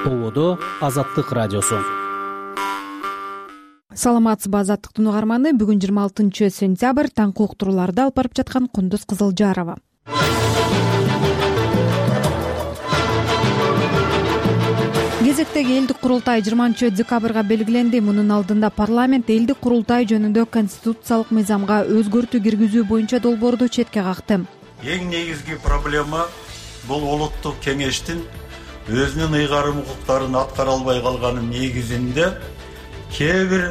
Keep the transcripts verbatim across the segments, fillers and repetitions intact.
Ободо Азаттык радиосу. Саламатсызбы, Азаттыктын угарманы. Бүгүн жыйырма алтынчы сентябрь, таңкы уктурууларды алып барып жаткан Кундуз Кызылжарова. Кезектеги элдик курултай жыйырманчы декабрга белгиленди. Мунун алдында парламент элдик курултай жөнүндө конституциялык мыйзамга өзгөртүү киргизүү боюнча долбоорду четке какты. Эң негизги проблема бул улуттук кеңештин өзүнүн ыйгарым укуктарын аткара албай калганын негизинде кээ бир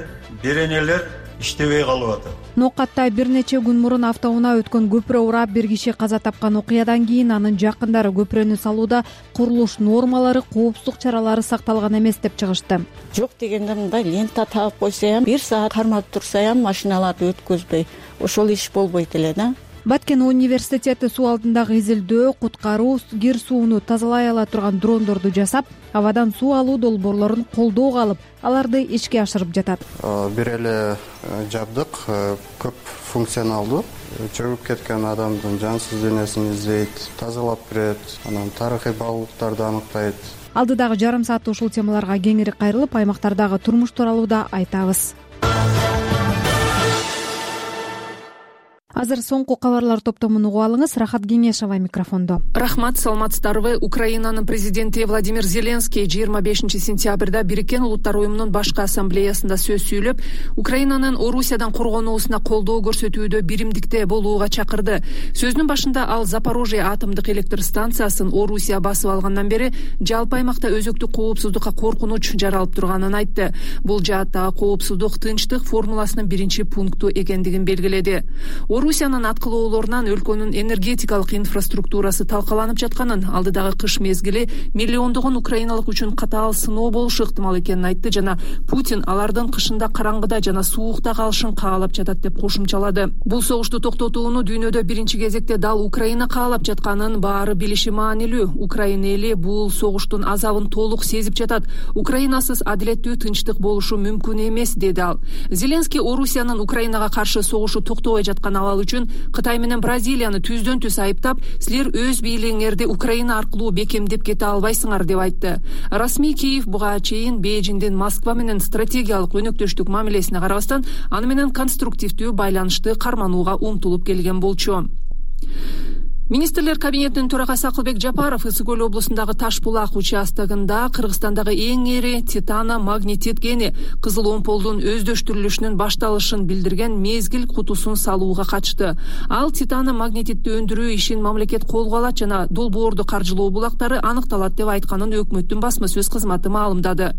беренелер иштебей калып атат. Нокатта бир нече күн мурун автоунаа өткөн көпүрө урап бир киши каза тапкан окуядан кийин анын жакындары көпүрөнү салууда курулуш нормалары, коопсуздук чаралары сакталган эмес деп чыгышты. Жок дегенде мындай лента таап койсо, бир саат кармап турса, машиналарды өткөзбөй, ошол иш болбойт эле да. Баткен университети суу алдындагы изилдөө, куткаруу, кир сууну тазалай ала турган дрондорду жасап, абадан суу алуу долбоорлорун колдоого алып, аларды ишке ашырып жатат. Бир эле жабдык көп функционалдуу, чөгүп кеткен адамдын жансыз денесин издейт, тазалап берет, анан тарыхый баалуулуктарды аныктайт. Алдыдагы жарым саатта ушул темаларга кеңири кайрылып, аймактардагы турмуш тууралуу да айтабыз. Азыр соңку кабарлар топтомун угуп алыңыз. Рахат Кеңешова микрофондо. Рахмат, саламатсыздарбы. Украинанын президенти Владимир Зеленский жыйырма бешинчи сентябрда Бириккен Улуттар уюмунун башкы ассамблеясында сөз сүйлөп, Украинанын Орусиядан коргонуусуна колдоо көрсөтүүдө биримдикте болууга чакырды. Сөзүнүн башында ал Запорожье атомдук электр станциясын Орусия басып алгандан бери жалпы аймакта өзөктүк коопсуздукка коркунуч жаралып турганын айтты. Бул жааттагы коопсуздук тынчтык формуласынын биринчи пункту экендигин белгиледи. Орусиянын аткылоолорунан өлкөнүн энергетикалык инфраструктурасы талкаланып жатканын, алдыдагы кыш мезгили миллиондогон украиналык үчүн катаал сыноо болушу ыктымал экенин айтты жана Путин алардын кышында караңгыда жана суукта калышын каалап жатат деп кошумчалады. Бул согушту токтотууну дүйнөдө биринчи кезекте дал Украина каалап жатканын баары билиши маанилүү. Украина эли бул согуштун азабын толук сезип жатат. Украинасыз адилеттүү тынчтык болушу мүмкүн эмес, деди ал. Зеленский Орусиянын Украинага каршы согушу токтобой жаткан абал үчүн Кытай менен Бразилияны түздөн түз айыптап, силер өз бийлигиңерди Украина аркылуу бекемдеп кете албайсыңар деп айтты. Расмий Киев буга чейин Бейжиңдин Москва менен стратегиялык өнөктөштүк мамилесине карабастан, аны менен конструктивдүү байланышты карманууга умтулуп келген болчу. Министрлер кабинетинин төрагасы Акылбек Жапаров Ысык Көл облусундагы Таш-Булак участогунда Кыргызстандагы эң эри титана магнетит кени Кызыл Омполдун өздөштүрүлүшүнүн башталышын билдирген мезгил кутусун салууга катышты. Ал титана магнетитти өндүрүү ишин мамлекет колго алат жана долбоорду каржылоо булактары аныкталат деп айтканын өкмөттүн басма сөз кызматы маалымдады.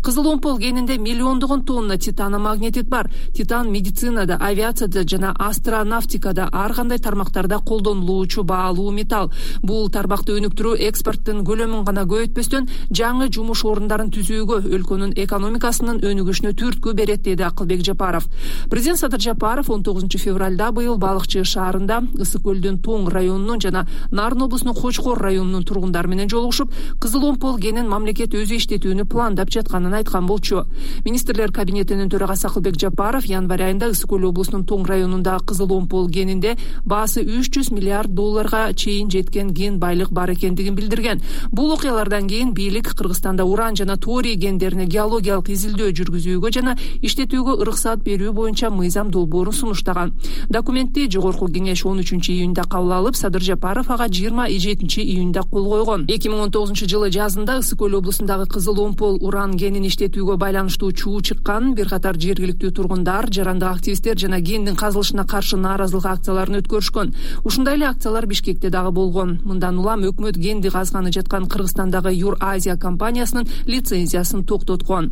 Кызыл Омпол кенинде миллиондогон тонна титана магнетит бар. Титан медицинада, авиацияда жана астронавтикада ар кандай тармактарда колдонулуучу алуу металл. Бул тармакты өнүктүрүү экспорттун көлөмүн гана көбөйтпөстөн, жаңы жумуш орундарын түзүүгө, өлкөнүн экономикасынын өнүгүшүнө түрткү берет, деди Акылбек Жапаров. Президент Садыр Жапаров он тогузунчу февралда быйыл Балыкчы шаарында Ысык Көлдүн Тоң районунун жана Нарын облусунун Кочкор районунун тургундары менен жолугушуп, Кызыл Омпол кенин мамлекет өзү иштетүүнү пландап жатканын айткан болчу. Министрлер кабинетинин төрагасы Акылбек Жапаров январь айында Ысык Көл облусунун Тоң районундагы Кызыл Омпол кенинде баасы үч жүз миллиард доллар чейин жеткен ген байлык бар экендигин билдирген. Бул окуялардан кийин бийлик Кыргызстанда уран жана торий гендерине геологиялык изилдөө жүргүзүүгө жана иштетүүгө уруксат берүү боюнча мыйзам долбоорун сунуштаган. Документти жогорку кеңеш он үчүнчү июнда кабыл алып, Садыр Жапаров ага жыйырма жетинчи июнда кол койгон. эки миң он тогузунчу жылы жазында Ысык Көл облусундагы Кызыл Омпол уран генин иштетүүгө байланыштуу чуу чыккан. Бир катар жергиликтүү тургундар, жарандык активисттер жана гендин казылышына каршы нааразылык акцияларын өткөрүшкөн. Ушундай эле акциялар Бишкекте дагы болгон. Мындан улам өкмөт генди казганы жаткан Кыргызстандагы Юр-Азия компаниясынын лицензиясын токтоткон.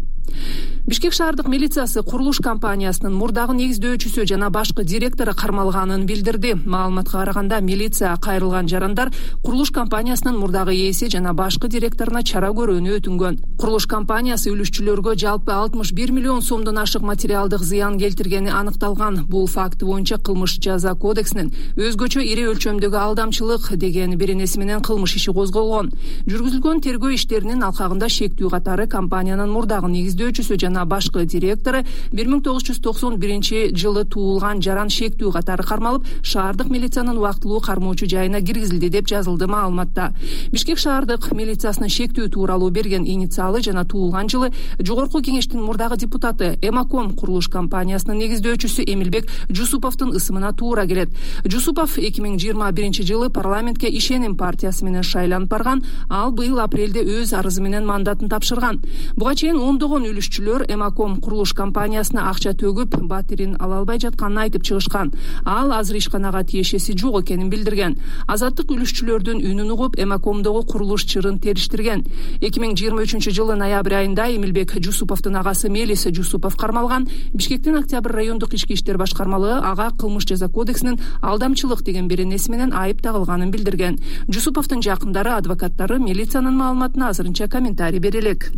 Бишкек шаардык милициясы курулуш компаниясынын мурдагы негиздөөчүсү жана башкы директору кармалганын билдирди. Маалыматка караганда, милиция кайрылган жарандар курулуш компаниясынын мурдагы ээси жана башкы директоруна чара көрүүнү өтүнгөн. Курулуш компаниясы үлүшчүлөргө жалпы алтымыш бир миллион сомдон ашык материалдык зыян келтиргени аныкталган. Бул факт боюнча кылмыш жаза кодексинин өзгөчө ири өлчөмдөгү алдамчылык деген беренеси менен кылмыш иши козголгон. Жүргүзүлгөн тергөө иштеринин алкагында шектүү катары компаниянын мурдагы негиз негиздөөчүсү жана башкы директору бир миң тогуз жүз токсон биринчи жылы туулган Жаран Шектүү катары кармалып, шаардык милициянын убактылуу кармоочу жайына киргизилди деп жазылды маалыматта. Бишкек шаардык милициясынын Шектүү тууралуу берген инициалы жана туулган жылы Жогорку кеңештин мурдагы депутаты Эмаком курулуш компаниясынын негиздөөчүсү Эмилбек Жусуповдун ысымына туура келет. Жусупов эки миң жыйырма биринчи жылы парламентке Ишеним партиясы менен шайланып барган, ал быйыл апрелде өз арызы менен мандатын тапшырган. Буга чейин ондогон үлүшчүлөр Эмаком курулуш компаниясына акча төгүп, батирин ала албай жатканын айтып чыгышкан. Ал азыр ишканага тиешеси жок экенин билдирген. Азаттык үлүшчүлөрдүн үнүн угуп, Эмакомдогу курулуш чырын териштирген. эки миң жыйырма үчүнчү жылы ноябрь айында Эмилбек Жусуповдун агасы Мелис Жусупов кармалган. Бишкектин Октябрь райондук ички иштер башкармалыгы ага кылмыш жаза кодексинин алдамчылык деген беренеси менен айып тагылганын билдирген. Жусуповдун жакындары, адвокаттары милициянын маалыматына азырынча комментарий бере элек.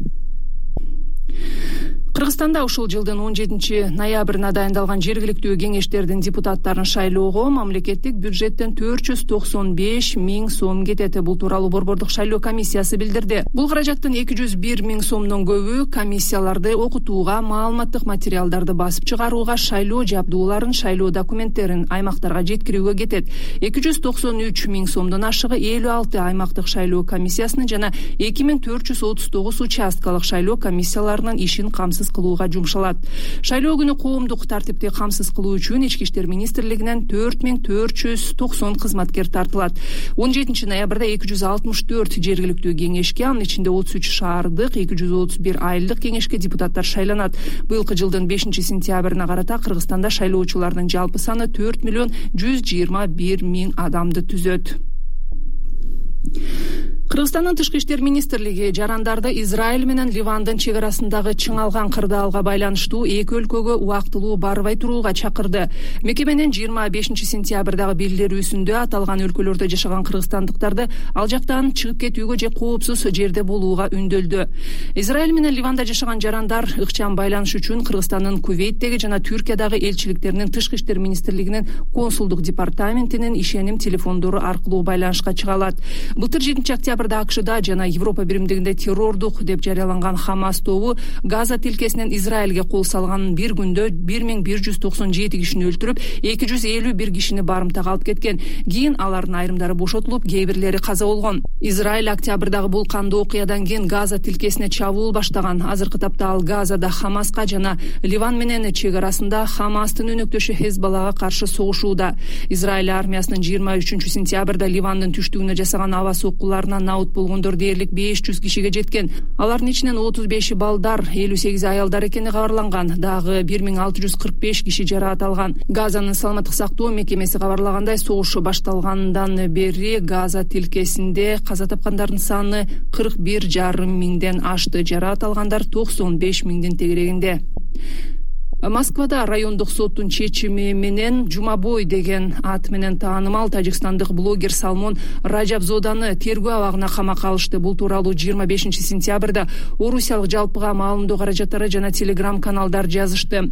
Кыргызстанда ушул жылдын он жетинчи ноябрына дайындалган жергиликтүү кеңештердин депутаттарын шайлоого мамлекеттик бюджеттен төрт жүз токсон беш миң сом кетет. Бул тууралуу Борбордук шайлоо комиссиясы билдирди. Бул каражаттын эки жүз бир миң сомдон көбү комиссияларды окутууга, маалыматтык материалдарды басып чыгарууга, шайлоо жабдууларын, шайлоо документтерин аймактарга жеткирүүгө кетет. эки жүз токсон үч миң сомдон ашыгы элүү алты аймактык шайлоо комиссиясынын жана эки миң төрт жүз отуз тогуз участкалык шайлоо комиссияларынын ишин камсыз кылууга жумшалат. Шайлоо күнү коомдук тартипти камсыз кылуу үчүн Ички иштер министрлигинен төрт миң төрт жүз токсон кызматкер тартылат. он жетинчи ноябрда эки жүз алтымыш төрт жергиликтүү кеңешке, анын ичинде отуз үч шаардык, эки жүз отуз бир айылдык кеңешке депутаттар шайланат. Быйылкы жылдын бешинчи сентябрына карата Кыргызстанда шайлоочулардын жалпы саны төрт миллион жүз жыйырма бир миң адамды түзөт. Кыргызстандын тышкы иштер министрлиги жарандарды Израиль менен Ливандын чек арасындагы чыңалган кырдаалга байланыштуу эки өлкөгө убактылуу барбай турууга чакырды. Мекеменин жыйырма бешинчи сентябрдагы билдирүүсүндө аталган өлкөлөрдө жашаган кыргызстандыктарды ал жактан чыгып кетүүгө же коопсуз жерде болууга үндөлдү. Израиль менен Ливанда жашаган жарандар ыкчам байланыш үчүн Кыргызстандын Кувейттеги жана Түркиядагы элчиликтеринин тышкы иштер министрлигинин консулдук департаментинин ишеним телефондору аркылуу байланышка чыга алат. Былтыр жетинчи октябрда АКШда жана Европа биримдигинде террордук деп жарыяланган Хамас тобу Газа тилкесинен Израилге кол салганын бир күндө бир миң бир жүз токсон жети кишини өлтүрүп, эки жүз элүү бир кишини барымтага алып кеткен. Кийин алардын айрымдары бошотулуп, кээ бирлери каза болгон. Израиль октябрдагы бул кандуу окуядан кийин Газа тилкесине чабуул баштаган. Азыркы тапта ал Газада Хамаска жана Ливан менен чек арасында Хамастын өнөктөшү Хезбаллага каршы согушууда. Израиль армиясынын жыйырма үчүнчү сентябрда Ливандын түштүгүнө жасаган аба соккуларынан наут болгондор дээрлик беш жүз кишиге жеткен. Алардын ичинен отуз беши балдар, элүү сегизи аялдар экени кабарланган. Дагы бир миң алты жүз кырк беш киши жараат алган. Газанын саламаттык сактоо мекемеси кабарлагандай, согуш башталгандан бери Газа тилкесинде каза тапкандардын саны кырк бир жарым миңден ашты. Жараат алгандар токсон беш миңдин тегерегинде. Москвада райондук соттун чечими менен Жумабой деген ат менен таанымал тажикстандык блогер Салмон Раджабзоданы тергөө абагына камакка алышты. Бул тууралуу жыйырма бешинчи сентябрда Орусиялык жалпыга маалымдоо каражаттары жана телеграм каналдар жазышты.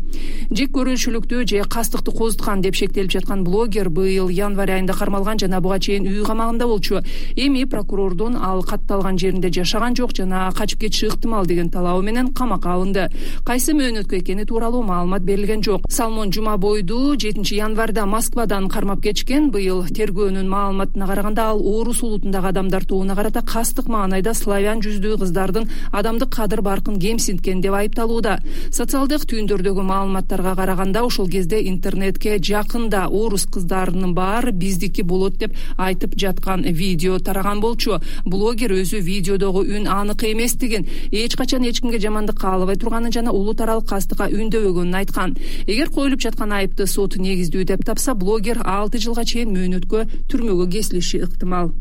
Жек көрүүчүлүктү же кастыкты козуткан деп шектелип жаткан блогер быйыл январь айында кармалган жана буга чейин үй камагында болчу. Эми прокурордун ал катталган жеринде жашаган жок жана качып кетиши ыктымал деген талабы менен камакка алынды. Кайсы мөөнөткө экени тууралуу маалымат берилген жок. Салмон Жумабойду жетинчи январда Москвадан кармап кетишкен. Быйыл тергөөнүн маалыматына караганда ал Орус улутундагы адамдар тобуна карата кастык маанайда славян жүздүү кыздардын адамдык кадыр баркын кемсинткен деп айыпталууда. Социалдык түйүндөрдөгү маалыматтарга караганда ошол кезде интернетке жакында орус кыздарынын баары биздики болот деп айтып жаткан видео тараган болчу. Блогер өзү видеодогу үн анык эместигин, эч качан эч кимге жамандык каалабай турганын жана улут аралык кастыкка үндөбөгөнүн айткан. Эгер коюлуп жаткан айыпты сот негиздүү деп тапса, блогер алты жылга чейин мөөнөткө түрмөгө кесилиши ыктымал.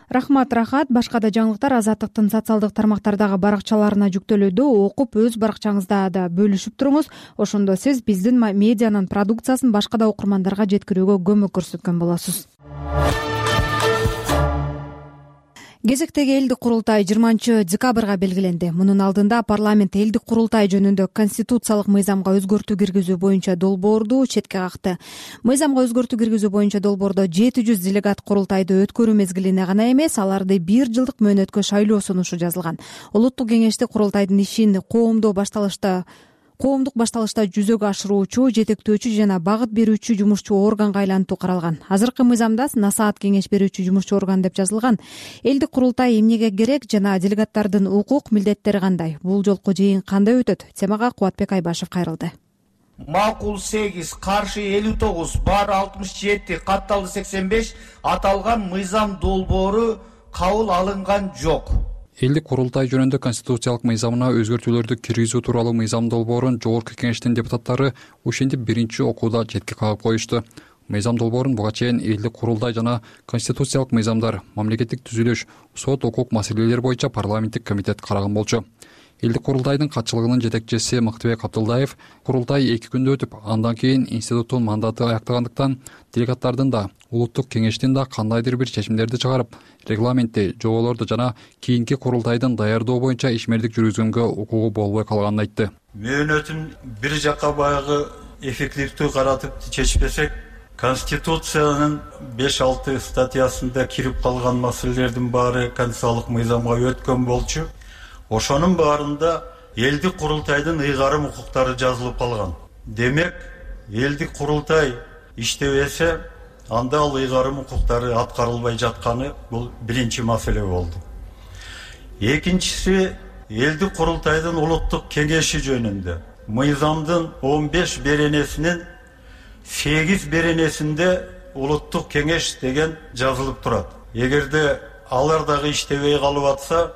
Рахмат, Рахат. Башка да жаңылыктар Азаттыктын социалдык тармактардагы баракчаларына жүктөлүүдө, окуп өз баракчаңызда да бөлүшүп туруңуз. Ошондо сиз биздин медианын продукциясын башка да окурмандарга жеткирүүгө көмөк көрсөткөн болосуз. Кезектеги элдик курултай жыйырманчы декабрга белгиленди. Мунун алдында парламент элдик курултай жөнүндө конституциялык мыйзамга өзгөртүү киргизүү боюнча долбоорду четке какты. Мыйзамга өзгөртүү киргизүү боюнча долбоордо жети жүз делегат курултайды өткөрүү мезгилине гана эмес, аларды бир жылдык мөөнөткө шайлоо сунушу жазылган. Улуттук кеңеште курултайдын ишин коомдук башталышта коомдук башталышта жүзөгө ашыруучу, жетектөөчү жана багыт берүүчү жумушчу органга айлантуу каралган. Азыркы мыйзамда насаат кеңеш берүүчү жумушчу орган деп жазылган. Элдик курултай эмнеге керек жана делегаттардын укук милдеттери кандай? Бул жолку жыйын кандай өтөт? Темага Кубатбек Айбашев кайрылды. Макул сегиз, каршы элүү тогуз, бар алтымыш жети, катталды сексен беш аталган мыйзам долбоору кабыл алынган жок. Элдик курултай жөнүндө конституциялык мыйзамына өзгөртүүлөрдү киргизүү тууралуу мыйзам долбоорун жогорку кеңештин депутаттары ушинтип биринчи окууда четке кагып коюшту. Мыйзам долбоорун буга чейин элдик курултай жана конституциялык мыйзамдар, мамлекеттик түзүлүш, сот, укук маселелери боюнча парламенттик комитет караган болчу. Элдик курултайдын катчылыгынын жетекчиси Мактыбек Абдылдаев курултай эки күндө өтүп, андан кийин институттун мандаты аяктагандыктан делегаттардын да, улуттук кеңештин да кандайдыр бир чечимдерди чыгарып, регламентти, жоболорду жана кийинки курултайдын даярдоо боюнча ишмердик жүргүзгөнгө укугу болбой калганын айтты. Мөөнөтүн бир жакка баягы эффективдүү каратып чечпесек, Конституциянын беш алты статьясында кирип калган маселелердин баары конституциялык мыйзамга өткөн болчу. Ошонун баарында элдик курултайдын ыйгарым укуктары жазылып калган. Демек, элдик курултай иштебесе, анда ал ыйгарым укуктары аткарылбай жатканы бул биринчи маселе болду. Экинчиси, элдик курултайдын улуттук кеңеши жөнүндө. Мыйзамдын он беш беренесинин сегиз беренесинде улуттук кеңеш деген жазылып турат. Эгерде алар дагы иштебей калып атса,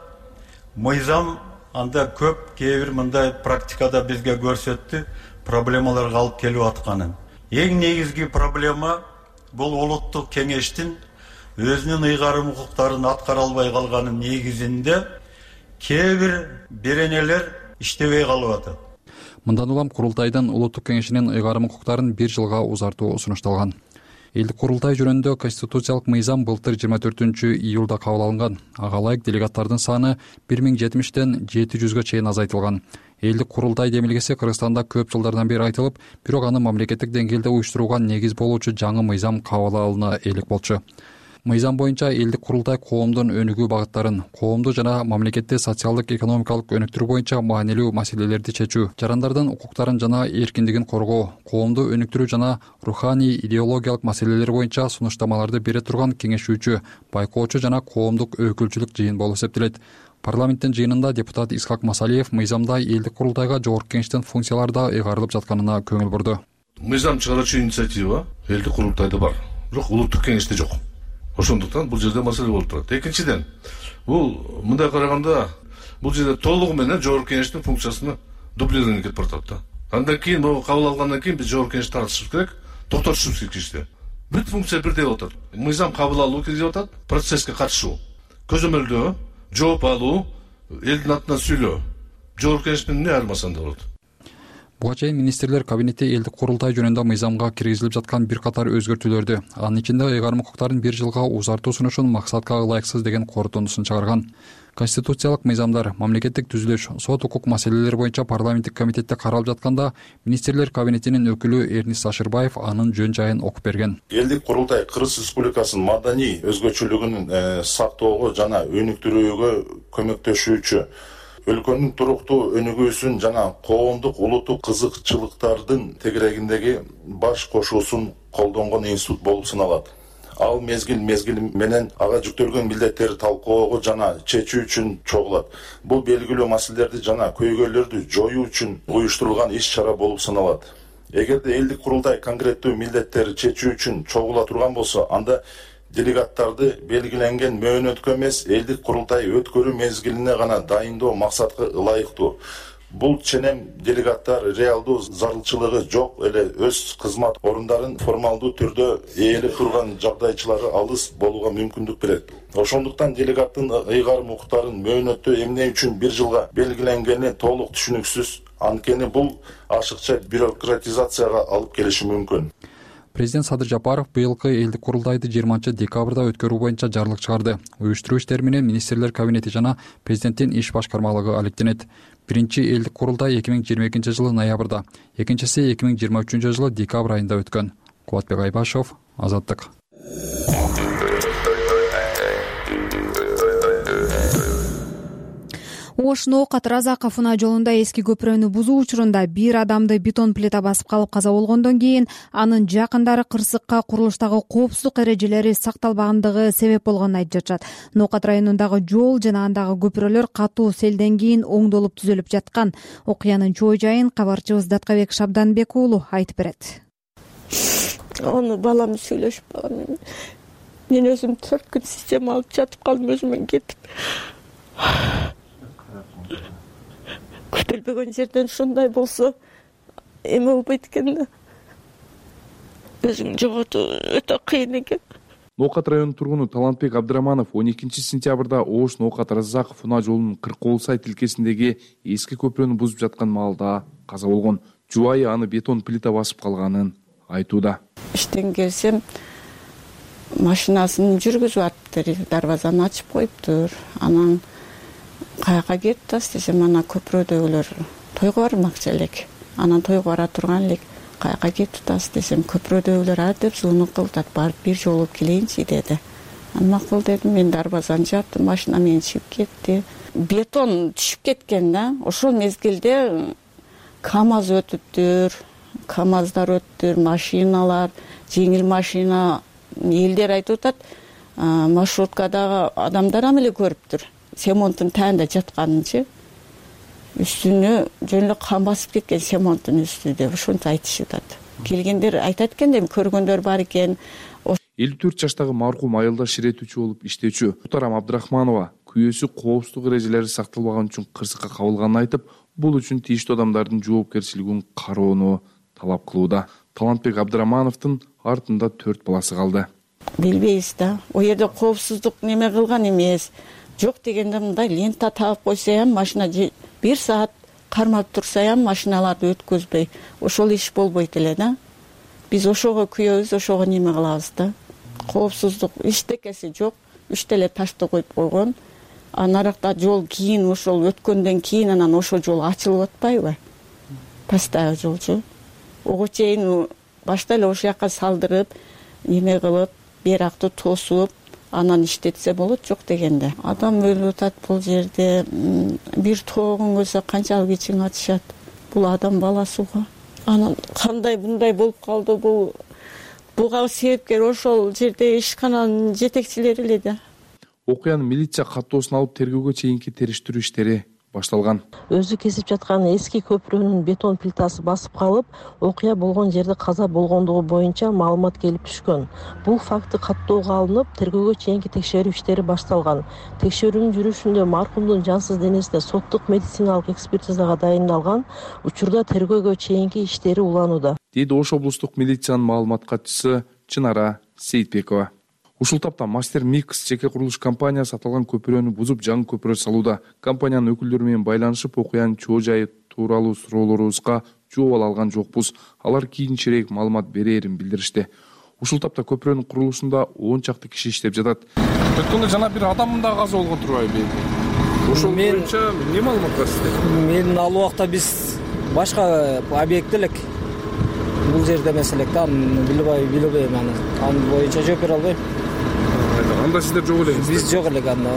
мыйзам анда көп кээ бир мындай практикада бизге көрсөттү, проблемаларга алып келип атканын. Эң негизги проблема бул улуттук кеңештин өзүнүн ыйгарым укуктарын аткара албай калганын негизинде кээ бир беренелер иштебей калып атат. Мындан улам курултайдын улуттук кеңешинин ыйгарым укуктарын бир жылга узартуу сунушталган. Элдик курултай жөнүндө конституциялык мыйзам былтыр жыйырма төртүнчү июлда кабыл алынган. Ага ылайык делегаттардын саны бир миң жетимиштен жети жүзгө чейин азайтылган. Элдик курултай демилгеси Кыргызстанда көп жылдардан бери айтылып, бирок аны мамлекеттик деңгээлде уюштурууга негиз болуучу жаңы мыйзам кабыл алына элек болчу. Мыйзам боюнча элдик курултай коомдун өнүгүү багыттарын, коомду жана мамлекетти социалдык экономикалык өнүктүрүү боюнча маанилүү маселелерди чечүү, жарандардын укуктарын жана эркиндигин коргоо, коомду өнүктүрүү жана руханий идеологиялык маселелер боюнча сунуштамаларды бере турган кеңешүүчү, байкоочу жана коомдук өкүлчүлүк жыйын болуп эсептелет. Парламенттин жыйынында депутат Исхак Масалиев мыйзамда элдик курултайга жогорку кеңештин функциялары да ыйгарылып жатканына көңүл бурду. Мыйзам чыгаруучу инициатива элдик курултайда бар, бирок улуттук кеңеште жок. Ошондуктан бул жерде маселе болуп турат. Экинчиден, бул мындай караганда бул жерде толугу менен жогорку кеңештин функциясына дублирование кетип баратат да. Андан кийин могу кабыл алгандан кийин биз жогорку кеңешти тартышыбыз керек, токтотушубуз керек ишти. Бүт функция бирдей болуп атат. Мыйзам кабыл алуу киргизип атат, процесске катышуу, көзөмөлдөө, жооп алуу, элдин атынан сүйлөө. Жогорку кеңеш менен эмне айырмасында болот? Буга чейин министрлер кабинети элдик курултай жөнүндө мыйзамга киргизилип жаткан бир катар өзгөртүүлөрдү, анын ичинде ыйгарым укуктарын бир жылга узартуу сунушун максатка ылайыксыз деген корутундусун чыгарган. Конституциялык мыйзамдар, мамлекеттик түзүлүш, сот, укук маселелери боюнча парламенттик комитетте каралып жатканда министрлер кабинетинин өкүлү Эрнис Сашырбаев анын жөн жайын окуп берген. Элдик курултай Кыргыз Республикасынын маданий өзгөчөлүгүн сактоого жана өнүктүрүүгө көмөктөшүүчү, өлкөнүн туруктуу өнүгүүсүн жана коомдук улуттук кызыкчылыктардын тегерегиндеги баш кошуусун колдонгон институт болуп саналат. Ал мезгил мезгили менен ага жүктөлгөн милдеттерди талкуулоого жана чечүү үчүн чогулат. Бул белгилүү маселелерди жана көйгөйлөрдү жоюу үчүн уюштурулган иш-чара болуп саналат. Эгерде элдик курултай конкреттүү милдеттерди чечүү үчүн чогула турган болсо, анда делегаттарды белгиленген мөөнөткө эмес, элдик курултай өткөрүү мезгилине гана дайындоо максатка ылайыктуу. Бул ченем делегаттар реалдуу зарылчылыгы жок эле өз кызмат орундарын формалдуу түрдө ээлеп турган жагдайчылары алыс болууга мүмкүндүк берет. Ошондуктан делегаттын ыйгарым укуктарын мөөнөттө эмне үчүн бир жылга белгиленгени толук түшүнүксүз, анткени бул ашыкча бюрократизацияга алып келиши мүмкүн. Президент Садыр Жапаров быйылкы элдик курултайды жыйырманчы декабрда өткөрүү боюнча жарлык чыгарды. Уюштуруу иштери менен министрлер кабинети жана президенттин иш башкармалыгы алектенет. Биринчи элдик курултай эки миң жыйырма экинчи жылы ноябрда, экинчиси эки миң жыйырма үчүнчү жылы декабрь айында өткөн. Кубатбек Айбашев, Азаттык. Ош Ноокат Разаков унаа жолунда эски көпүрөнү бузуу учурунда бир адамды бетон плита басып калып каза болгондон кийин анын жакындары кырсыкка курулуштагы коопсуздук эрежелери сакталбагандыгы себеп болгонун айтып жатышат. Ноокат районундагы жол жана андагы көпүрөлөр катуу селден кийин оңдолуп түзөлүп жаткан. Окуянын чоо жайын кабарчыбыз Даткабек Шабданбек уулу айтып берет. Аны балам сүйлөшүп калган. Мен өзүм төрт күн система алып жатып калдым өзүмөн кетип. Күтүлбөгөн жерден ушундай болсо эме болбойт экен да. Өзүң жоготуу өтө кыйын экен. Ноокат районунун тургуну Талантбек Абдыраманов он экинчи сентябрда Ош Ноокат Разаков унаа жолунун Кыркоолсай тилкесиндеги эски көпүрөнү бузуп жаткан маалда каза болгон. Жубайы аны бетон плита басып калганын айтууда. Иштен келсем машинасын жүргүзүп атыптыр, дарбазаны ачып коюптур. Анан каяка кетип атасыз десем, ана көпүрөдөгүлөр тойго бармакчы элек. Анан тойго бара турган элек. Каяка кетип атасыз десем, көпүрөдөгүлөр а деп зунук кылтат, барып бир жолу алып келейинчи деди. Анан макул дедим, мен дарбазаны жаптым, машина менен чыгып кетти. Бетон түшүп кеткен да. Ошол мезгилде КАМАЗ өтүптүр, КАМАЗдар өттүр, машиналар, жеңил машина. Элдер айтып атат, маршруткадагы адамдар ам эле көрүптүр. Семонттун таанында жатканынчы. Үстүнө жөн эле кан басып кеткен семонттун үстү деп ошончо айтышып атат. Келгендер айтат экен деп көргөндөр бар экен. элүү төрт жаштагы маркум айылдаш иретүүчү болуп иштөөчү Мутарам Абдрахманова күйөөсү коопсуздук эрежелери сакталбаган үчүн кырсыкка кабылганын айтып, бул үчүн тийиштүү адамдардын жоопкерчилигин кароону талап кылууда. Талантбек Абдырамановдун артында төрт баласы калды. Билбейбиз да. О жерде коопсуздук неме кылган эмес. Жок дегенде мындай лента таап койсо ham машина бир саат кармап турса ham машиналарды өткөзбөй, ошол иш болбойт эле да. Биз ошого күйөбүз, ошого неме кылабыз да. Коопсуздук иштекеси жок, үч деле ташты коюп койгон. А наракта жол кийин ошол өткөндөн кийин анан ошол жол ачылып атпайбы? Пастагы жолчу. Ого чейин башта эле ошол жака салдырып, неме кылып, беракты тосуп, анан иштетсе болот, жок дегенде. Адам өлүп атат бул жерде. Бир тоогун көрсө канчалык ичиң ачышат. Бул адам баласы го. Анан кандай мындай болуп калды бул? Буга себепкер ошол жерде ишкананын жетекчилери эле да. Окуянын милиция каттоосун алып тергөөгө чейинки териштирүү иштери башталган. Өзү кесип жаткан эски көпүрөнүн бетон плитасы басып калып, окуя болгон жерде каза болгондугу боюнча маалымат келип түшкөн. Бул факты каттоого алынып, тергөөгө чейинки текшерүү иштери башталган. Текшерүүнүн жүрүшүндө маркумдун жансыз денесине соттук медициналык экспертизага дайындалган, учурда тергөөгө чейинки иштери уланууда, дейди Ош облустук милициянын маалымат катчысы Чынара Сейитбекова. Ушул тапта Мастер Микс жеке курулуш компаниясы аталган көпүрөнү бузуп жаңы көпүрө салууда. Компаниянын өкүлдөрү менен байланышып, окуянын чоо жайы тууралуу суроолорубузга жооп ала алган жокпуз. Алар кийинчерээк маалымат берээрин билдиришти. Ушул тапта көпүрөнүн курулушунда он чакты киши иштеп жатат. Өткөндө жана бир адам да каза болгон турбайбы? Ошол боюнча эмне маалымат бар сизде? Мен ал убакта биз башка объект элек. Бул жерде эмес элек да, билбей билбейм аны. Анын боюнча жооп бере албайм. Анда сиздер жок элеңиз. Биз жок элек анда.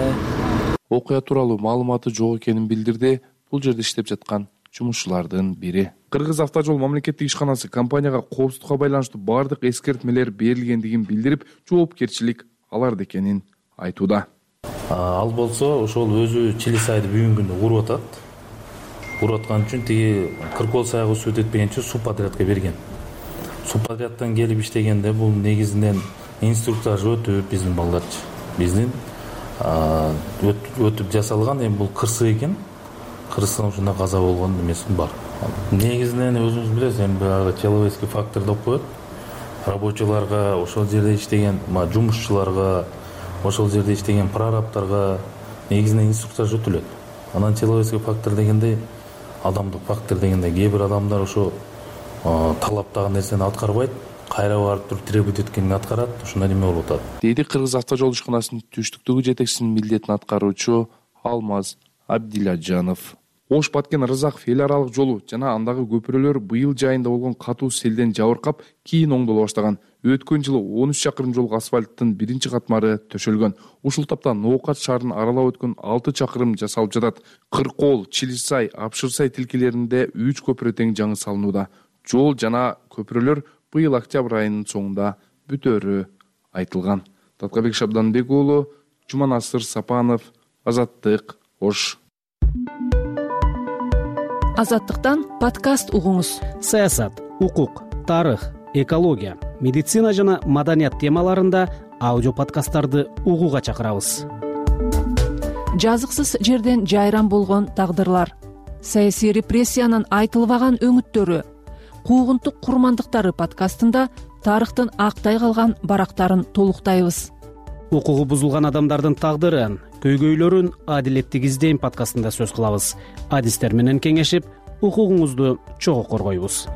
Окуя тууралуу маалыматы жок экенин билдирди бул жерде иштеп жаткан жумушчулардын бири. Кыргыз автожол мамлекеттик ишканасы компанияга коопсуздукка байланыштуу бардык эскертмелер берилгендигин билдирип, жоопкерчилик аларда экенин айтууда. Ал болсо ошол өзү Чилисайды бүгүнкү күндө уруп атат. Уруп аткан үчүн тиги Кыркоолсайга суу өтпөгөнчө субподрядка берген. Субподрядтан келип иштегенде бул негизинен инструктаж өтүп биздин балдарчы. Биздин өтүп жасалган, эми бул кырсык экен. Кырсыктан ушундай каза болгон эмеси бар. Негизинен өзүңүз билесиз, эми баягы человеческий фактор деп коет. Рабочийларга, ошол жерде иштеген жумушчуларга, ошол жерде иштеген прорабтарга негизинен инструктаж өтүлөт. Анан человеческий фактор дегенде, адамдык фактор дегенде кээ бир адамдар ошо талаптагы нерсени аткарбайт, кайра барып туруп требовать эткенин аткарат, ушундай неме болуп атат, дейди Кыргыз авто жол ишканасынын түштүктөгү жетекчисинин милдетин аткаруучу Алмаз Абдиладжанов. Ош Баткен Рызаков эл аралык жолу жана андагы көпүрөлөр быйыл жайында болгон катуу селден жабыркап кийин оңдоло баштаган. Өткөн жылы он үч чакырым жол асфальттын биринчи катмары төшөлгөн. Ушул тапта Ноокат шаарын аралап өткөн алты чакырым жасалып жатат. Кыркол, Чилисай, Апшырсай тилкелеринде үч көпүрө тең жаңы салынууда. Жол жана көпүрөлөр быйыл октябрь айынын соңунда бүтөөрү айтылган. Таткабек Шабданбек уулу, Жуманасыр Сапанов, Азаттык, Ош. Азаттыктан подкаст угуңуз. Саясат, укук, тарых, экология, медицина жана маданият темаларында аудио подкасттарды угууга чакырабыз. Жазыксыз жерден жайран болгон тагдырлар, саясий репрессиянын айтылбаган өңүттөрү, куугунтук курмандыктары подкастында тарыхтын актай калган барактарын толуктайбыз. Укугу бузулган адамдардын тагдырын, көйгөйлөрүн адилеттик издейм подкастында сөз кылабыз. Адистер менен кеңешип, укугуңузду чогуу коргойбуз.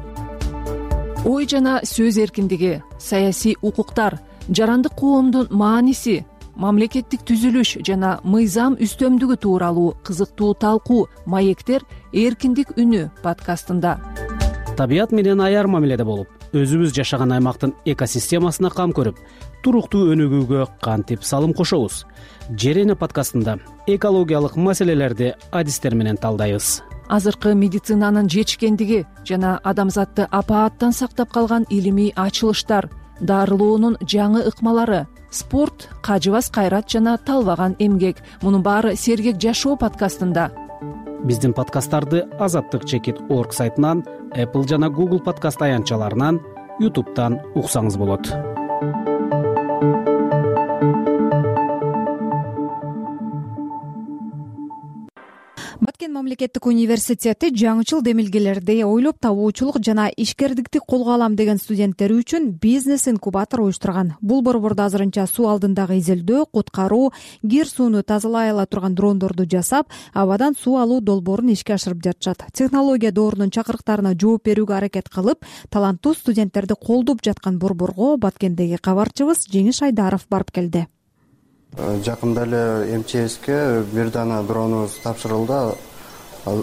Ой жана сөз эркиндиги, саясий укуктар, жарандык коомдун мааниси, мамлекеттик түзүлүш жана мыйзам үстөмдүгү тууралуу кызыктуу талкуу маектер эркиндик үнү подкастында. Табият менен аяр мамиледе болуп, өзүбүз жашаган аймактын экосистемасына кам көрүп, туруктуу өнүгүүгө кантип салым кошобуз. Жерене подкастында экологиялык маселелерди адистер менен талдайбыз. Азыркы медицинанын жетишкендиги жана адамзатты апааттан сактап калган илимий ачылыштар, дарылоонун жаңы ыкмалары, спорт, кажыбас кайрат жана талбаган эмгек. Мунун баары сергек жашоо подкастында. Биздин подкасттарды азаттык чекит орг сайтынан, Apple жана Google подкаст аянтчаларынан, YouTube'дан уксаңыз болот. Баткен мамлекеттик университети жаңычыл демилгелерди ойлоп табуучулук жана ишкердикти колго алам деген студенттери үчүн бизнес инкубатор уюштурган. Бул борбордо азырынча суу алдындагы изилдөө, куткаруу, кир сууну тазалай ала турган дрондорду жасап, абадан суу алуу долбоорун ишке ашырып жатышат. Технология доорунун чакырыктарына жооп берүүгө аракет кылып, таланттуу студенттерди колдоп жаткан борборго Баткендеги кабарчыбыз Жеңиш Айдаров барып келди. Жакында эле эм че эске бир дана дронубуз тапшырылды.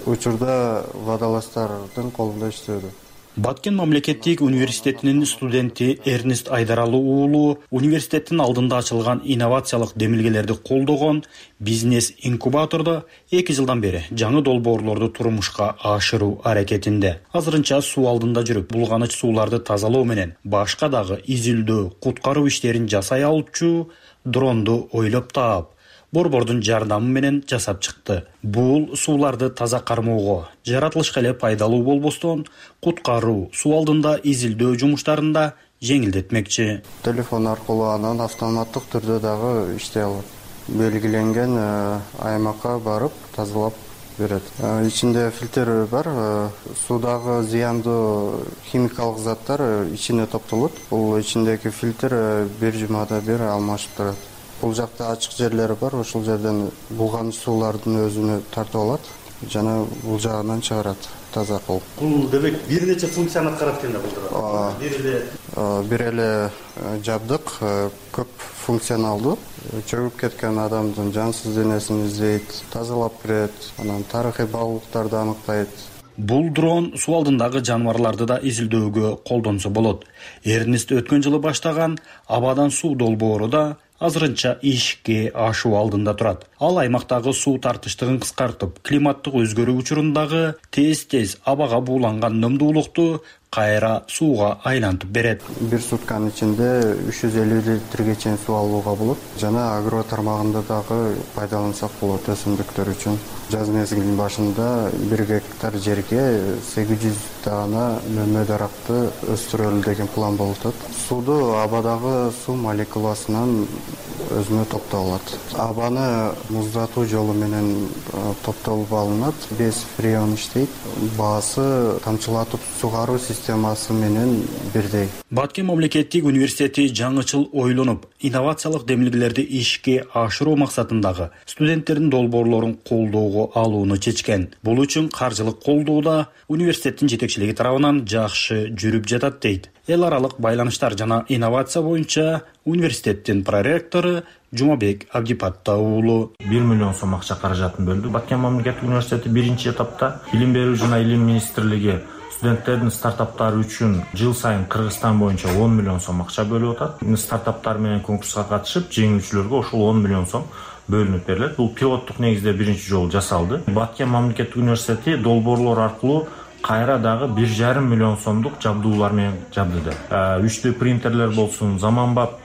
Учурда водолаздардын колунда иштөөдө. Баткен мамлекеттик университетинин студенти Эрнест Айдаралы уулу университеттин алдында ачылган инновациялык демилгелерди колдогон бизнес инкубатордо эки жылдан бери жаңы долбоорлорду турмушка ашыруу аракетинде. Азырынча суу алдында жүрүп, булганыч сууларды тазалоо менен башка дагы изилдөө, куткаруу иштерин жасай алчу дронду ойлоп таап, борбордун жардамы менен жасап чыкты. Бул сууларды таза кармоого, жаратылышка эле пайдалуу болбостон, куткаруу, суу алдында изилдөө жумуштарында жеңилдетмекчи. Телефон аркылуу анан автоматтык түрдө дагы иштей алат. Белгиленген аймакка барып тазалап берет. Ичинде фильтр бар, суудагы зыяндуу химикалык заттар ичине топтолот. Бул ичиндеги фильтр бир жумада бир алмашып турат. Бул жакта ачык жерлери бар, ошол жерден булганыч суулардын өзүнө тартып алат жана бул жагынан чыгарат таза кылып. Бул демек бир нече функцияны аткарат экен да бул. Бир эле бир эле жабдык көп функционалдуу. Чөгүп кеткен адамдын жансыз денесин издейт, тазалап берет, анан тарыхый баалуулуктарды аныктайт. Бул дрон суу алдындагы жаныбарларды да изилдөөгө колдонсо болот. Эрнест өткөн жылы баштаган абадан суу долбоору да азырынча ишке ашуу алдында турат. Ал аймактагы суу тартыштыгын кыскартып, климаттык өзгөрүү учурундагы тез-тез абага бууланган нымдуулукту кайра сууга айлантып берет. Бир сутканын ичинде үч жүз элүү литрге чейин суу алууга болот. Жана агро тармагында дагы пайдалансак болот өсүмдүктөр үчүн. Жаз мезгилинин башында бир гектар жерге сегиз жүз дана мөмө даракты өстүрөлү деген план болуп атат. Сууду абадагы суу молекуласынан өзүнө топтоп алат. Абаны муздатуу жолу менен топтолуп алынат. Без фреон иштейт. Баасы тамчылатып сугаруу системасы менен бирдей. Баткен мамлекеттик университети жаңычыл ойлонуп, инновациялык демилгелерди ишке ашыруу максатындагы студенттердин долбоорлорун колдоого алууну чечкен. Бул үчүн каржылык колдоо да университеттин жетекчилиги тарабынан жакшы жүрүп жатат дейт эл аралык байланыштар жана инновация боюнча университеттин проректору Жумабек Абдипатта уулу. бир миллион сом акча каражатын бөлдү. Баткен мамлекеттик университети биринчи этапта билим берүү жана илим министрлиги студенттердин стартаптары үчүн жыл сайын Кыргызстан боюнча он миллион сом акча бөлүп атат. Стартаптар менен конкурска катышып, жеңүүчүлөргө ошол он миллион сом бөлүнүп берилет. Бул пилоттук негизде биринчи жолу жасалды. Баткен мамлекеттик университети долбоорлор аркылуу кайра дагы бир жарым миллион сомдук жабдуулар менен жабдыды. үч дэ принтерлер болсун, заманбап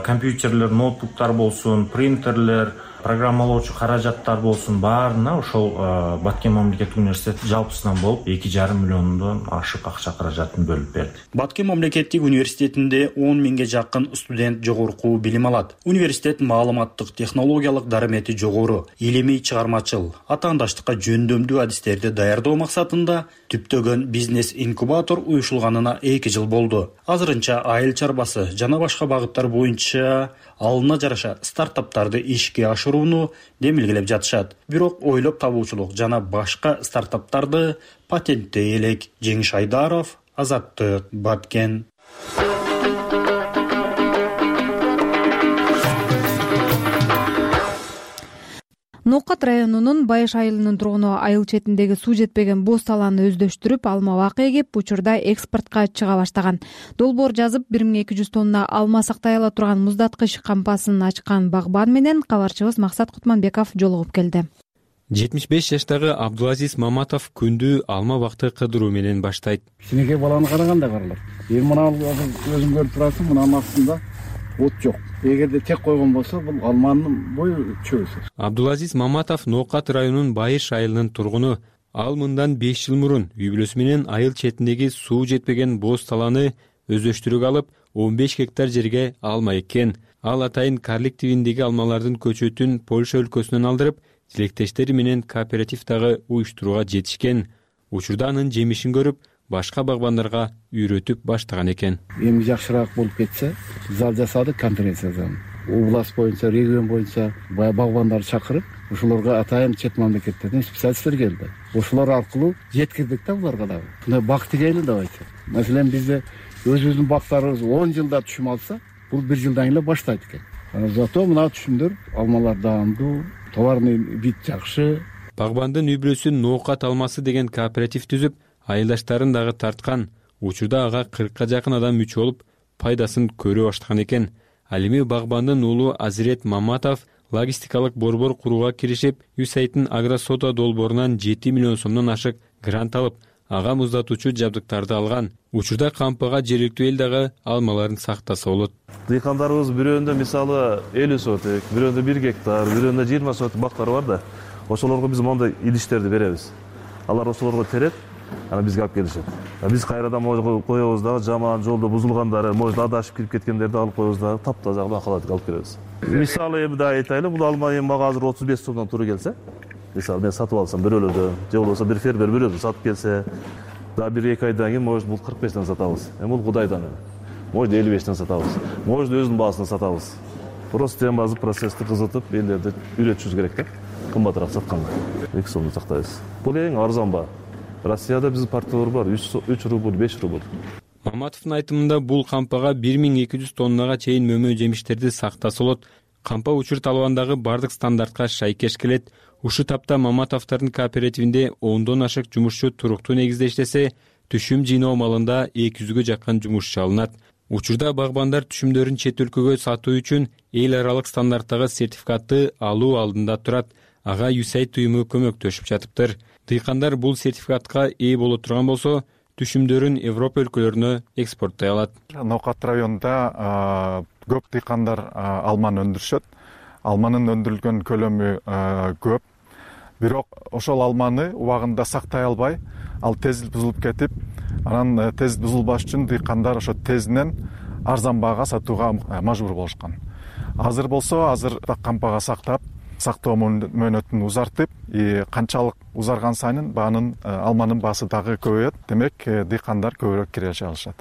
компьютерлер, ноутбуктар болсун, принтерлер, программалоочу каражаттар болсун, баарына ошол Баткен мамлекеттик университети жалпысынан болуп эки жарым миллиондон ашык акча каражатын бөлүп берди. Баткен мамлекеттик университетинде он миңге жакын студент жогорку билим алат. Университет маалыматтык технологиялык дарамети жогору, илимий чыгармачыл, атаандаштыкка жөндөмдүү адистерди даярдоо максатында түптөгөн бизнес инкубатор уюшулганына эки жыл болду. Азырынча айыл чарбасы жана башка багыттар боюнча алына жараша стартаптарды ишке ашырууну демилгелеп жатышат. Бирок ойлоп табуучулук жана башка стартаптарды патенттей элек. Жеңиш Айдаров, Азаттык, Баткен. Ноокат районунун Байыш айылынын тургуну айыл четиндеги суу жетпеген боз талааны өздөштүрүп, алма бак эгип, учурда экспортко чыга баштаган. Долбоор жазып бир миң эки жүз тонна алма сактай ала турган муздаткыч кампасын ачкан багбан менен кабарчыбыз Максат Кутманбеков жолугуп келди. жетимиш беш жаштагы Абдулазиз Маматов күндү алма бакты кыдыруу менен баштайт. Кичинекей баланы караганда каралат. Эми мына өзүң көрүп турасың, мынанын астында от жок. Эгерде тек койгон болсо, бул алманын бою чөбүсү. Абдулазиз Маматов Ноокат районунун Байыш айылынын тургуну. Ал мындан беш жыл мурун үй бүлөсү менен айыл четиндеги суу жетпеген боз талааны өздөштүрүүгө алып, он беш гектар жерге алма эккен. Ал атайын Карлик тибиндеги алмалардын көчөтүн Польша өлкөсүнөн алдырып, тилектештери менен кооперативдагы уюштурууга жетишкен. Учурда анын жемишин көрүп, башка багбандарга үйрөтүп баштаган экен. Эми жакшыраак болуп кетсе, зал жасадык, конференция залы. Область боюнча, регион боюнча багбандарды чакырып, ошолорго атайын чет мамлекеттерден специалисттер келди. Ошолор аркылуу жеткирдик да буларга дагы. Мына бак тигейли давайте. Маселен, бизде өзүбүздүн бактарыбыз он жылда түшүм алса, бул бир жылдан эле баштайт экен. Зато мына түшүмдөр алмалар даамдуу, товарный вид жакшы. Багбандын үй бүлөсү Ноокат алмасы деген кооператив түзүп, айылдаштарын дагы тарткан. Учурда ага кыркка жакын адам мүчө болуп, пайдасын көрө баштаган экен. Ал эми багбандын уулу Азирет Маматов логистикалык борбор курууга киришип, Юсайттын агросода долбоорунан жети миллион сомдон ашык грант алып, ага муздатуучу жабдыктарды алган. Учурда кампага жергиликтүү эл дагы алмаларын сактаса болот. Дыйкандарыбыз бирөөндө мисалы элүү соток, бирөөндө бир гектар, бирөөндө жыйырма соток бактар бар да. Ошолорго биз мондай идиштерди беребиз. Алар ошолорго терет, ана бизге алып келишет. Биз кайрадан могу коебуз дагы, жаман жолдо бузулгандары, могу адашып кирип кеткендерди алып коебуз дагы, таптаза бакалатып алып келебиз. Мисалы эми да айтайлы, бул алма эми мага азыр отуз беш сомдон туура келсе, мисалы мен сатып алсам бирөөлөрдөн, же болбосо бир фермер бирөөдөн сатып келсе, да бир эки айдан кийин может бул кырк бештен сатабыз. Эми бул Кудайдан эми. Может элүү бештен сатабыз. Может өзүнүн баасынан сатабыз. Просто эми азыр процессти кызытып, элдерди үйрөтүшүбүз керек да. Кымбатыраак сатканда эки сомду сактайбыз. Бул эң арзан баа. Россияда биздин партиялар бар, үч рубль, беш рубль. Маматовдун айтымында бул кампага бир миң эки жүз тоннага чейин мөмө жемиштерди сактаса болот. Кампа учур талабындагы бардык стандартка шайкеш келет. Ушул тапта Маматовдордун кооперативинде ондон ашык жумушчу туруктуу негизде иштесе, түшүм жыйноо малында эки жүзгө жакын жумушчу алынат. Учурда багбандар түшүмдөрүн чет өлкөгө сатуу үчүн эл аралык стандарттагы сертификатты алуу алдында турат. Ага Юсайт уюму көмөктөшүп жатыптыр. Дыйкандар бул сертификатка ээ боло турган болсо, түшүмдөрүн Европа өлкөлөрүнө экспорттой алат. Ноокат районунда көп дыйкандар алманы өндүрүшөт. Алманын өндүрүлгөн көлөмү көп. Бирок ошол алманы убагында сактай албай, ал тез бузулуп кетип, анан тез бузулбаш үчүн дыйкандар ошо тезинен арзан баага сатууга мажбур болушкан. Азыр болсо, азыр кампага сактап, сактоо мөөнөтүн узартып, канчалык узарган сайын баанын алманын баасы дагы көбөйөт. Демек, дыйкандар көбүрөөк киреше алышат.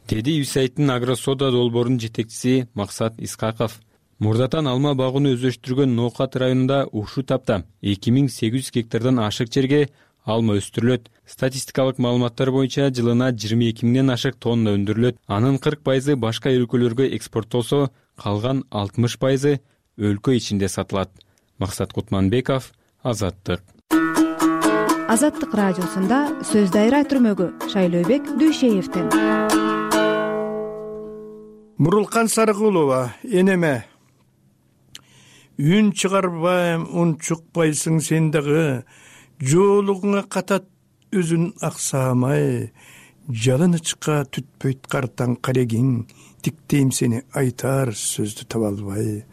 Деди Юсайттын агросода долбоорунун жетекчиси Максат Исхаков. Мурдатан алма багууну өздөштүргөн Ноокат районунда ушул тапта эки миң сегиз жүз гектардан ашык жерге алма өстүрүлөт. Статистикалык маалыматтар боюнча жылына жыйырма эки миңден ашык тонна өндүрүлөт. Анын кырк пайызы башка өлкөлөргө экспорттолсо, калган алтымыш пайызы өлкө ичинде сатылат. Максат Кутманбеков, Азаттык. Азаттык радиосунда сөз дайра түрмөгү Шайлообек Дүйшеевден. Мурулкан Сарыкулова, энеме. Үн чыгарбайм, ун чукпайсың сен дагы, жоолугуңа катат өзүн аксамай, жалынычка түтпөйт картаң карегиң, тиктейм сени айтар сөздү таба албай.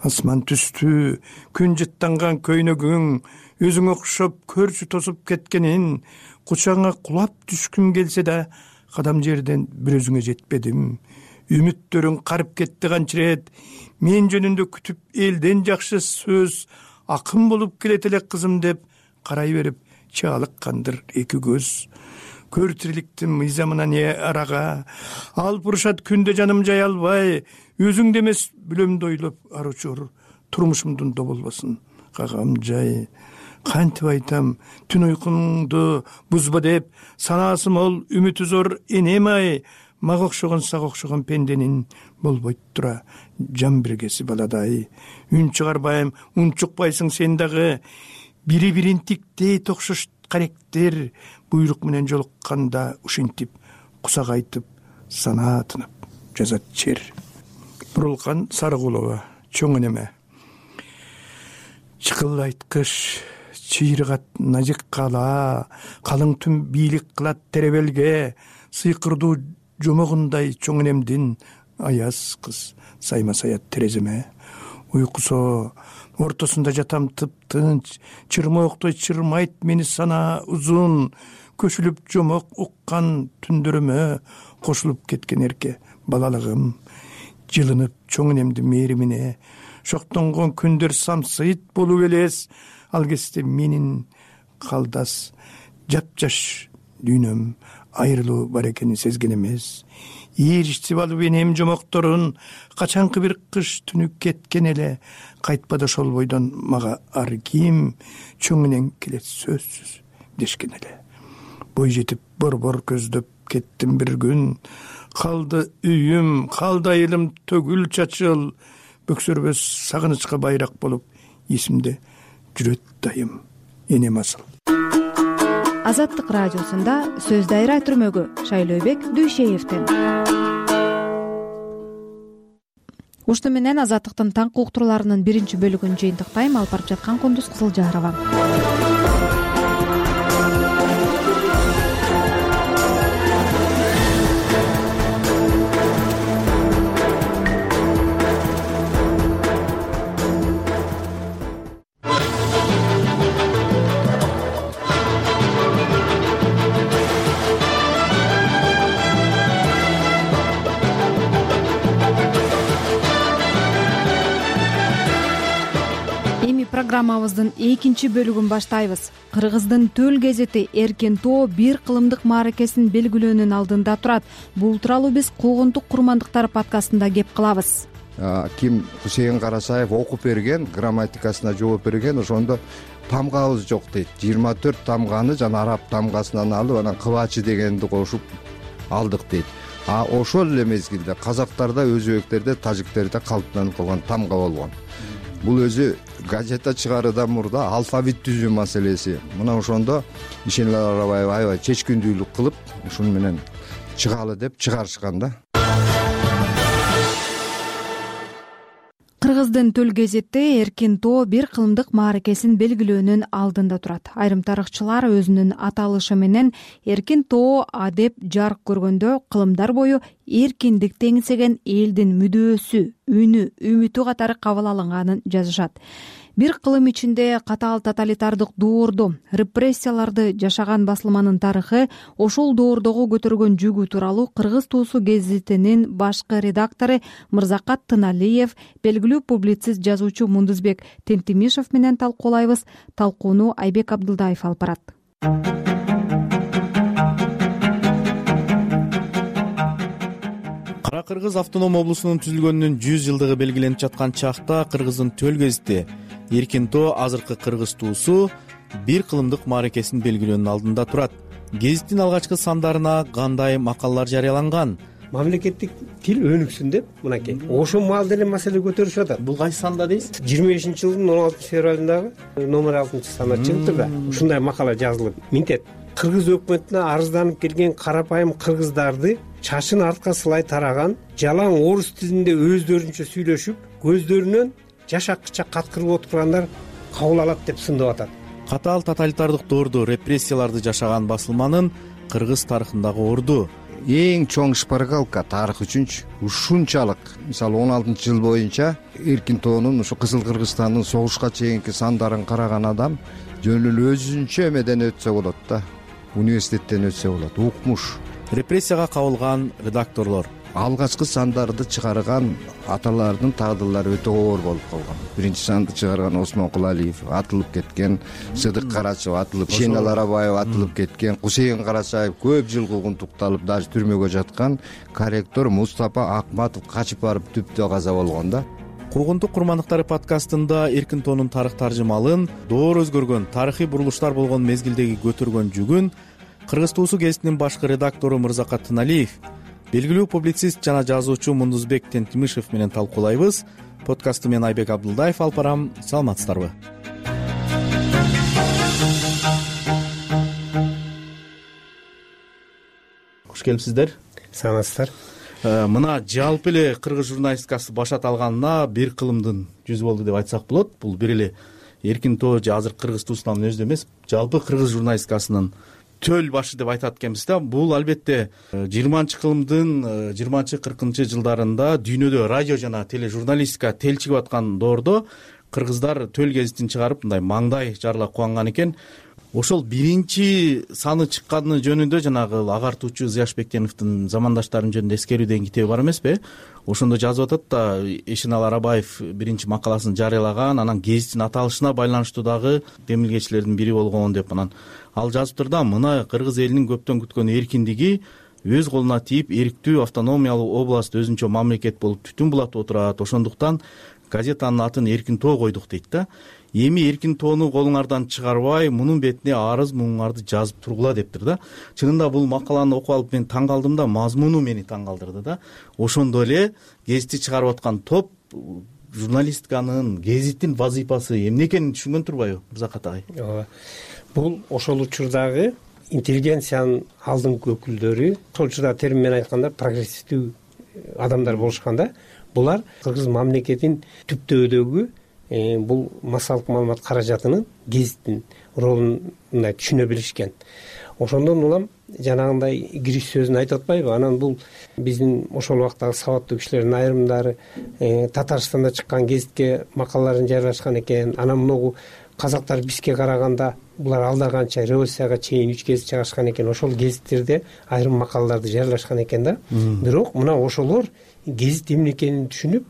Асман түстү, күн жыттанган көйнөгүң, өзүң окшоп көрчү тосуп кеткенин, кучаңа кулап түшкүм келсе да, кадам жерден бир өзүңө жетпедим. Үмүттөрүң карып кетти канчырет, мен жөнүндө күтүп элден жакшы сөз, акын болуп келет эле кызым деп карай берип чаалыккандыр эки көз. Көр тириликтин мыйзамына не арага, алып урушат күндө жаным жай албай, өзүңдө эмес бүлөмдү ойлоп аручур, турмушумдун доболбосун кагам жай. Кантип айтам, түн уйкуңду бузба деп, санаасы мол, үмүтү зор энем ай, мага окшогон сага окшогон пенденин болбойт тура жан биргеси баладай. Үн чыгарбайм, ун чукпайсың сен дагы, бири бирин тиктей окшош каректер, буйрук менен жолукканда ушинтип кусак айтып, санаа тынып жазат чер. Мурулкан Сарыкулова, чоң энеме. Чыкылдайт кыш, чыйрыгат назик кала, калың түн бийлик кылат теребелге, сыйкырдуу жомогундай чоң энемдин аяз кыз сайма саят тереземе. Уйкусо ортосунда жатам тып-тынч, чырмооктой чырмайт мени санаа узун, көшүлүп жомок уккан түндөрүмө кошулуп кеткен эрке балалыгым. Жылынып чоң энемдин мээримине, шоктонгон күндөр самсыйт болуп элес, ал кезде менин калдас жапжаш дүйнөм айрылуу бар экенин сезген эмес. Ийриштип алып энем жомокторун, качанкы бир кыш түнү кеткен эле, кайтпады ошол бойдон мага ар ким, чоң энең келет сөзсүз дешкен эле. Бой жетип борбор көздөп кеттим бир күн, калды үйүм, калды айылым төгүл чачыл, бөксөрбөс сагынычка байрак болуп, эсимде жүрөт дайым энем асыл. Азаттык радиосунда сөз дайра түрмөгү Шайлообек Дүйшеевден. Ушуну менен Азаттыктын таңкы уктурууларынын биринчи бөлүгүн жыйынтыктайм. Алып барып жаткан Кундуз Кызылжарова. Программабыздын экинчи бөлүгүн баштайбыз. Кыргыздын төл гезити Эркен тоо бир кылымдык мааракесин белгилөөнүн алдында турат. Бул тууралуу биз Куугунтук курмандыктар подкастында кеп кылабыз. Ким Хусейин Карасаев окуп берген, грамматикасына жооп берген, ошондо тамгабыз жок дейт. жыйырма төрт тамганы жана араб тамгасынан алып, анан кыбачы дегенди кошуп алдык дейт. А ошол эле мезгилде казактарда, өзбектерде, тажиктерде калыптанып калган тамга болгон. Бул өзү газета чыгаруудан мурда алфавит түзүү маселеси. Мына ошондо Ишенел Арабаева аябай чечкиндүүлүк кылып, ушуну менен чыгалы деп чыгарышкан да. Кыргыздын төл гезити Эркен тоо бир кылымдык мааракесин белгилөөнүн алдында турат. Айрым тарыхчылар өзүнүн аталышы менен Эркен тоо адеп жарык көргөндө кылымдар бою эркиндик теңсеген элдин мүдөөсү, үнү, үмүтү катары кабыл алынганын жазышат. Бир кылым ичинде катаал тоталитардык доордо репрессияларды жашаган басылманын тарыхы ошол доордогу көтөргөн жүгү тууралуу Кыргыз туусу гезитинин башкы редактору Мырзакат Тыналиев, белгилүү публицист жазуучу Мундузбек Тентимишев менен талкуулайбыз. Талкууну Айбек Абдылдаев алып барат. Кара Кыргыз автоном облусунун түзүлгөнүнүн жүз жылдыгы белгиленип жаткан чакта Кыргыздын төл гезити Эркен тоо азыркы Кыргыз туусу бир кылымдык мааракесин белгилөөнүн алдында турат. Гезиттин алгачкы сандарына кандай макалалар жарыяланган? Мамлекеттик тил өнүксүн деп мынакей ошол маал деле маселе көтөрүшүп атат. Бул кайсы санда дейсиз? жыйырма бешинчи жылдын он алтынчы февралындагы номер алтынчы санда чыгыптыр да. Ушундай макала жазылып минтет. Кыргыз өкмөтүнө арызданып келген карапайым кыргыздарды чачын артка сылай тараган, жалаң орус тилинде өздөрүнчө сүйлөшүп, көздөрүнөн жаш аккыча каткырып отургандар кабыл алат деп сындап атат. Катаал тоталитардык доордо репрессияларды жашаган басылманын кыргыз тарыхындагы орду. Эң чоң шпаргалка тарых үчүнчү ушунчалык, мисалы он алтынчы жыл боюнча Эркин тоонун ушу Кызыл Кыргызстандын согушка чейинки сандарын караган адам жөн эле өзүнчө эмеден өтсө болот да, университеттен өтсө болот, укмуш. Репрессияга кабылган редакторлор, алгачкы сандарды чыгарган аталардын тагдырлары өтө оор болуп калган. Биринчи санды чыгарган Осмон Кулалиев атылып кеткен, Сыдык Карачев атылып, Шенал Арабаев атылып кеткен, Кусейин Карачаев көп жыл куугунтукталып, даже түрмөгө жаткан, корректор Мустапа Акматов качып барып түптө каза болгон да. Куугунтук курмандыктары подкастында Эркин тоонун тарых таржымалын, доор өзгөргөн тарыхый бурулуштар болгон мезгилдеги көтөргөн жүгүн Кыргыз туусу гезитинин башкы редактору Мырзакат Тыналиев, белгилүү публицист жана жазуучу Мундузбек Тентимишев менен талкуулайбыз. Подкастты мен Айбек Абдулдаев алып барам. Саламатсыздарбы? Кош келипсиздер. Саламатсыздар. Мына жалпы эле кыргыз журналистикасы башат алганына бир кылымдын жүзү болду деп айтсак болот. Бул бир эле Эркин тоо же азыр Кыргыз туусунун өзү эмес, жалпы кыргыз журналистикасынын төл башы деп айтат экенбиз да. Бул албетте жыйырманчы кылымдын жыйырманчы кыркынчы жылдарында дүйнөдө радио жана тележурналистика телчигип аткан доордо кыргыздар төл гезитин чыгарып мындай маңдай жарыла кубанган экен. Ошол биринчи саны чыкканы жөнүндө жанагы агартуучу Зияш Бектеновдун замандаштарым жөнүндө эскерүү деген китеби бар эмеспи? Ошондо жазып атат да, Эшенал Арабаев биринчи макаласын жарыялаган, анан гезиттин аталышына байланыштуу дагы демилгечилердин бири болгон деп. Анан ал жазыптыр да, мына кыргыз элинин көптөн күткөн эркиндиги өз колуна тийип, эрктүү автономиялуу област өзүнчө мамлекет болуп түтүн булатып отурат. Ошондуктан газетанын атын Эркин тоо койдук дейт да. Эми Эркин тоону колуңардан чыгарбай, мунун бетине арыз муңуңарды жазып тургула дептир да. Чынында бул макаланы окуп алып мен таң калдым да, мазмуну мени таң калдырды да. Ошондо эле гезитти чыгарып аткан топ журналистиканын, гезиттин вазыйфасы эмне экенин түшүнгөн турбайбы, Мырзакат агай? Ооба. Бул ошол учурдагы интеллигенциянын алдыңкы өкүлдөрү, ошол учурда термин менен айтканда прогрессивдүү адамдар болушканда, булар кыргыз мамлекетин түптөөдөгү бул массалык маалымат каражатынын гезиттин ролун мындай түшүнө билишкен. Ошондон улам жанагындай кириш сөзүн айтып атпайбы? Анан бул биздин ошол убактагы сабаттуу кишилердин айрымдары Татарстанда чыккан гезитке макалаларын жарыялашкан экен. Анан могу казактар бизге караганда булар алдарганча революцияга чейин үч гезит чыгарышкан экен. Ошол гезиттерде айрым макалаларды жарыялашкан экен да. Бирок мына ошолор гезит эмне экенин түшүнүп,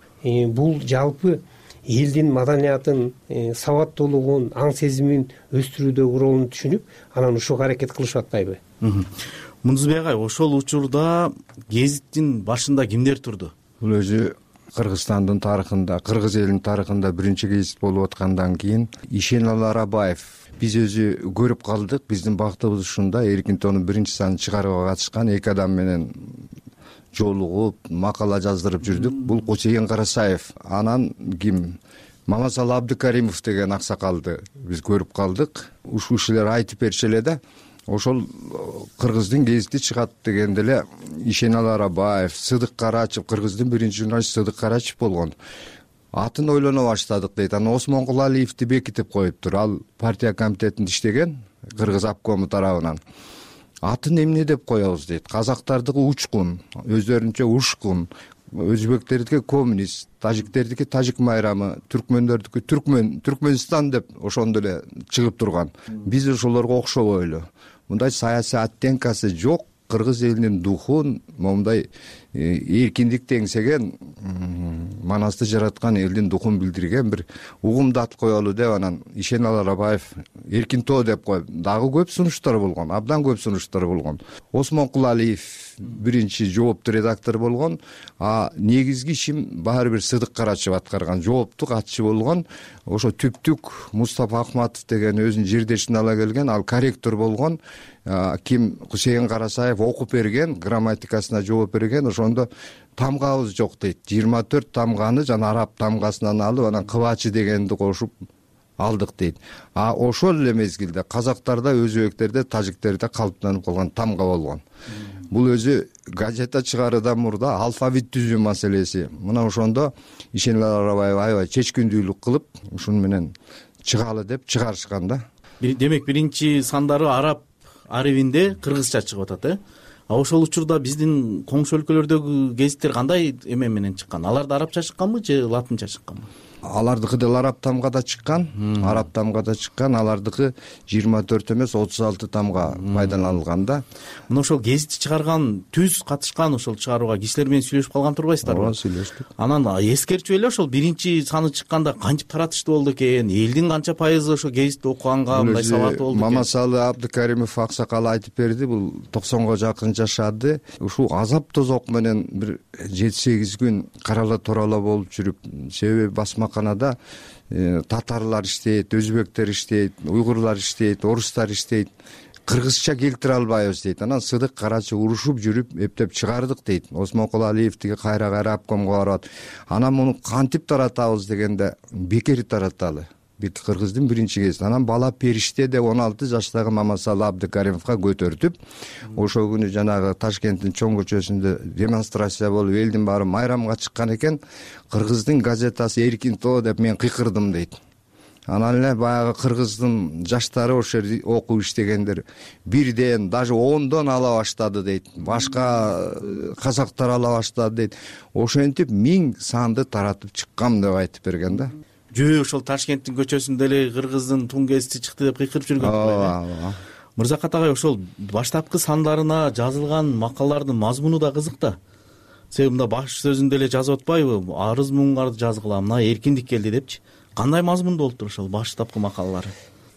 бул жалпы элдин маданиятын, сабаттуулугун, аң сезимин өстүрүүдөгү ролун түшүнүп, анан ушуга аракет кылышып атпайбы? Мундузбек агай, ошол учурда гезиттин башында кимдер турду? Бул өзү Кыргызстандын тарыхында, кыргыз элинин тарыхында биринчи гезит болуп аткандан кийин Ишенал Арабаев. Биз өзү көрүп калдык, биздин бактыбыз ушунда Эркин тоонун биринчи санын чыгарууга катышкан эки адам менен жолугуп, макала жаздырып жүрдүк. Бул Кусейин Карачаев, анан ким? Мамасалы Абдыкаримов деген аксакалды биз көрүп калдык. Ушул кишилер айтып бериши эле да. Ошол кыргыздын гезити чыгат дегенде эле Ишенал Арабаев, Сыдык Карачев, кыргыздын биринчи журналист Сыдык Карачев болгон. Атын ойлоно баштадык дейт. Анан Осмон Кулалиевди бекитип коюптур. Ал партия комитетинде иштеген, кыргыз обкому тарабынан. Атын эмне деп коебуз дейт. Казактардыкы учкун, өздөрүнчө ушкун, өзбектердики коммунист, тажиктердики тажик майрамы, түркмөндөрдүкү түркмөн, Түркмөнстан деп ошондо эле чыгып турган. Биз ошолорго окшобой эле. Мындай саясий оттенкасы жок, кыргыз элинин духун, момундай эркиндик теңсеген манасты жараткан элдин духун билдирген бир угумду ат коелу деп анан Ишеналы Арабаев Эркинтоо деп коюп дагы көп сунуштар болгон, абдан көп сунуштар болгон. Осмон Кулалиев биринчи жооптуу редактор болгон, а негизги ишин баары бир Сыдык Карачев аткарган, жооптуу катчы болгон. Ошо түптүк Мустафа Акматов деген өзүнүн жердешин ала келген, ал корректор болгон. Ким Кусейин Карасаев окуп берген, грамматикасына жооп берген. Ошондо тамгабыз жок дейт. жыйырма төрт тамганы жана араб тамгасынан алып, анан кыбачы дегенди кошуп алдык дейт. А ошол эле мезгилде казактарда, өзбектерде, тажиктерде калыптанып калган тамга болгон. Бул өзү газета чыгаруудан мурда алфавит түзүү маселеси. Мына ошондо Ишенали Арабаев аябай чечкиндүүлүк кылып, ушуну менен чыгалы деп чыгарышкан да. Демек биринчи сандары араб арабинде кыргызча чыгып атат, э? А ошол учурда биздин коңшу өлкөлөрдөгү гезиттер кандай эме менен чыккан? Аларда арабча чыкканбы же латынча чыкканбы? Алардыкы деле араб тамгада чыккан, араб тамгада чыккан, алардыкы жыйырма төрт эмес отуз алты тамга пайдаланылган да. Мына ошол гезитти чыгарган, түз катышкан ошол чыгарууга кишилер менен сүйлөшүп калган турбайсыздарбы? Ооба, сүйлөштүк. Анан эскерчүп эле ошол биринчи саны чыкканда кантип таратышты болду экен, элдин канча пайызы ошо гезитти окуганга мындай сабаты болду экен? Мамасалы Абдыкаримов аксакал айтып берди, бул токсонго жакын жашады. Ушул азап тозок менен бир жети сегиз күн карала турала болуп жүрүп, себеби басмаканада татарлар иштейт, өзбектер иштейт, уйгурлар иштейт, орустар иштейт. Кыргызча келтире албайбыз дейт. Анан Сыдык Карачев урушуп жүрүп эптеп чыгардык дейт. Осмон Кулалиев тиги кайра кайра обкомго барып, анан муну кантип таратабыз дегенде бекер тараталы. Бир кыргыздын биринчи кези. Анан бала периште деп он алты жаштагы Мамасалы Абдыкаримовго көтөртүп, ошол күнү жанагы Ташкенттин чоң көчөсүндө демонстрация болуп, элдин баары майрамга чыккан экен. Кыргыздын газетасы Эркинтоо деп мен кыйкырдым дейт. Анан эле баягы кыргыздын жаштары ошол жерде окуп иштегендер бирден, даже ондон ала баштады дейт. Башка казактар ала баштады дейт. Ошентип миң санды таратып чыккам деп айтып берген да. Жөө ошол Ташкенттин көчөсүндө эле кыргыздын тун гезити чыкты деп кыйкырып жүргөн. Ооба. Мырзакат агай, ошол баштапкы сандарына жазылган макалалардын мазмуну да кызык да. Себеби мында баш сөзүндө эле жазып атпайбы? Арыз муңгарды жазгыла, мына эркиндик келди депчи. Кандай мазмунда болуптур ошол баштапкы макалалары?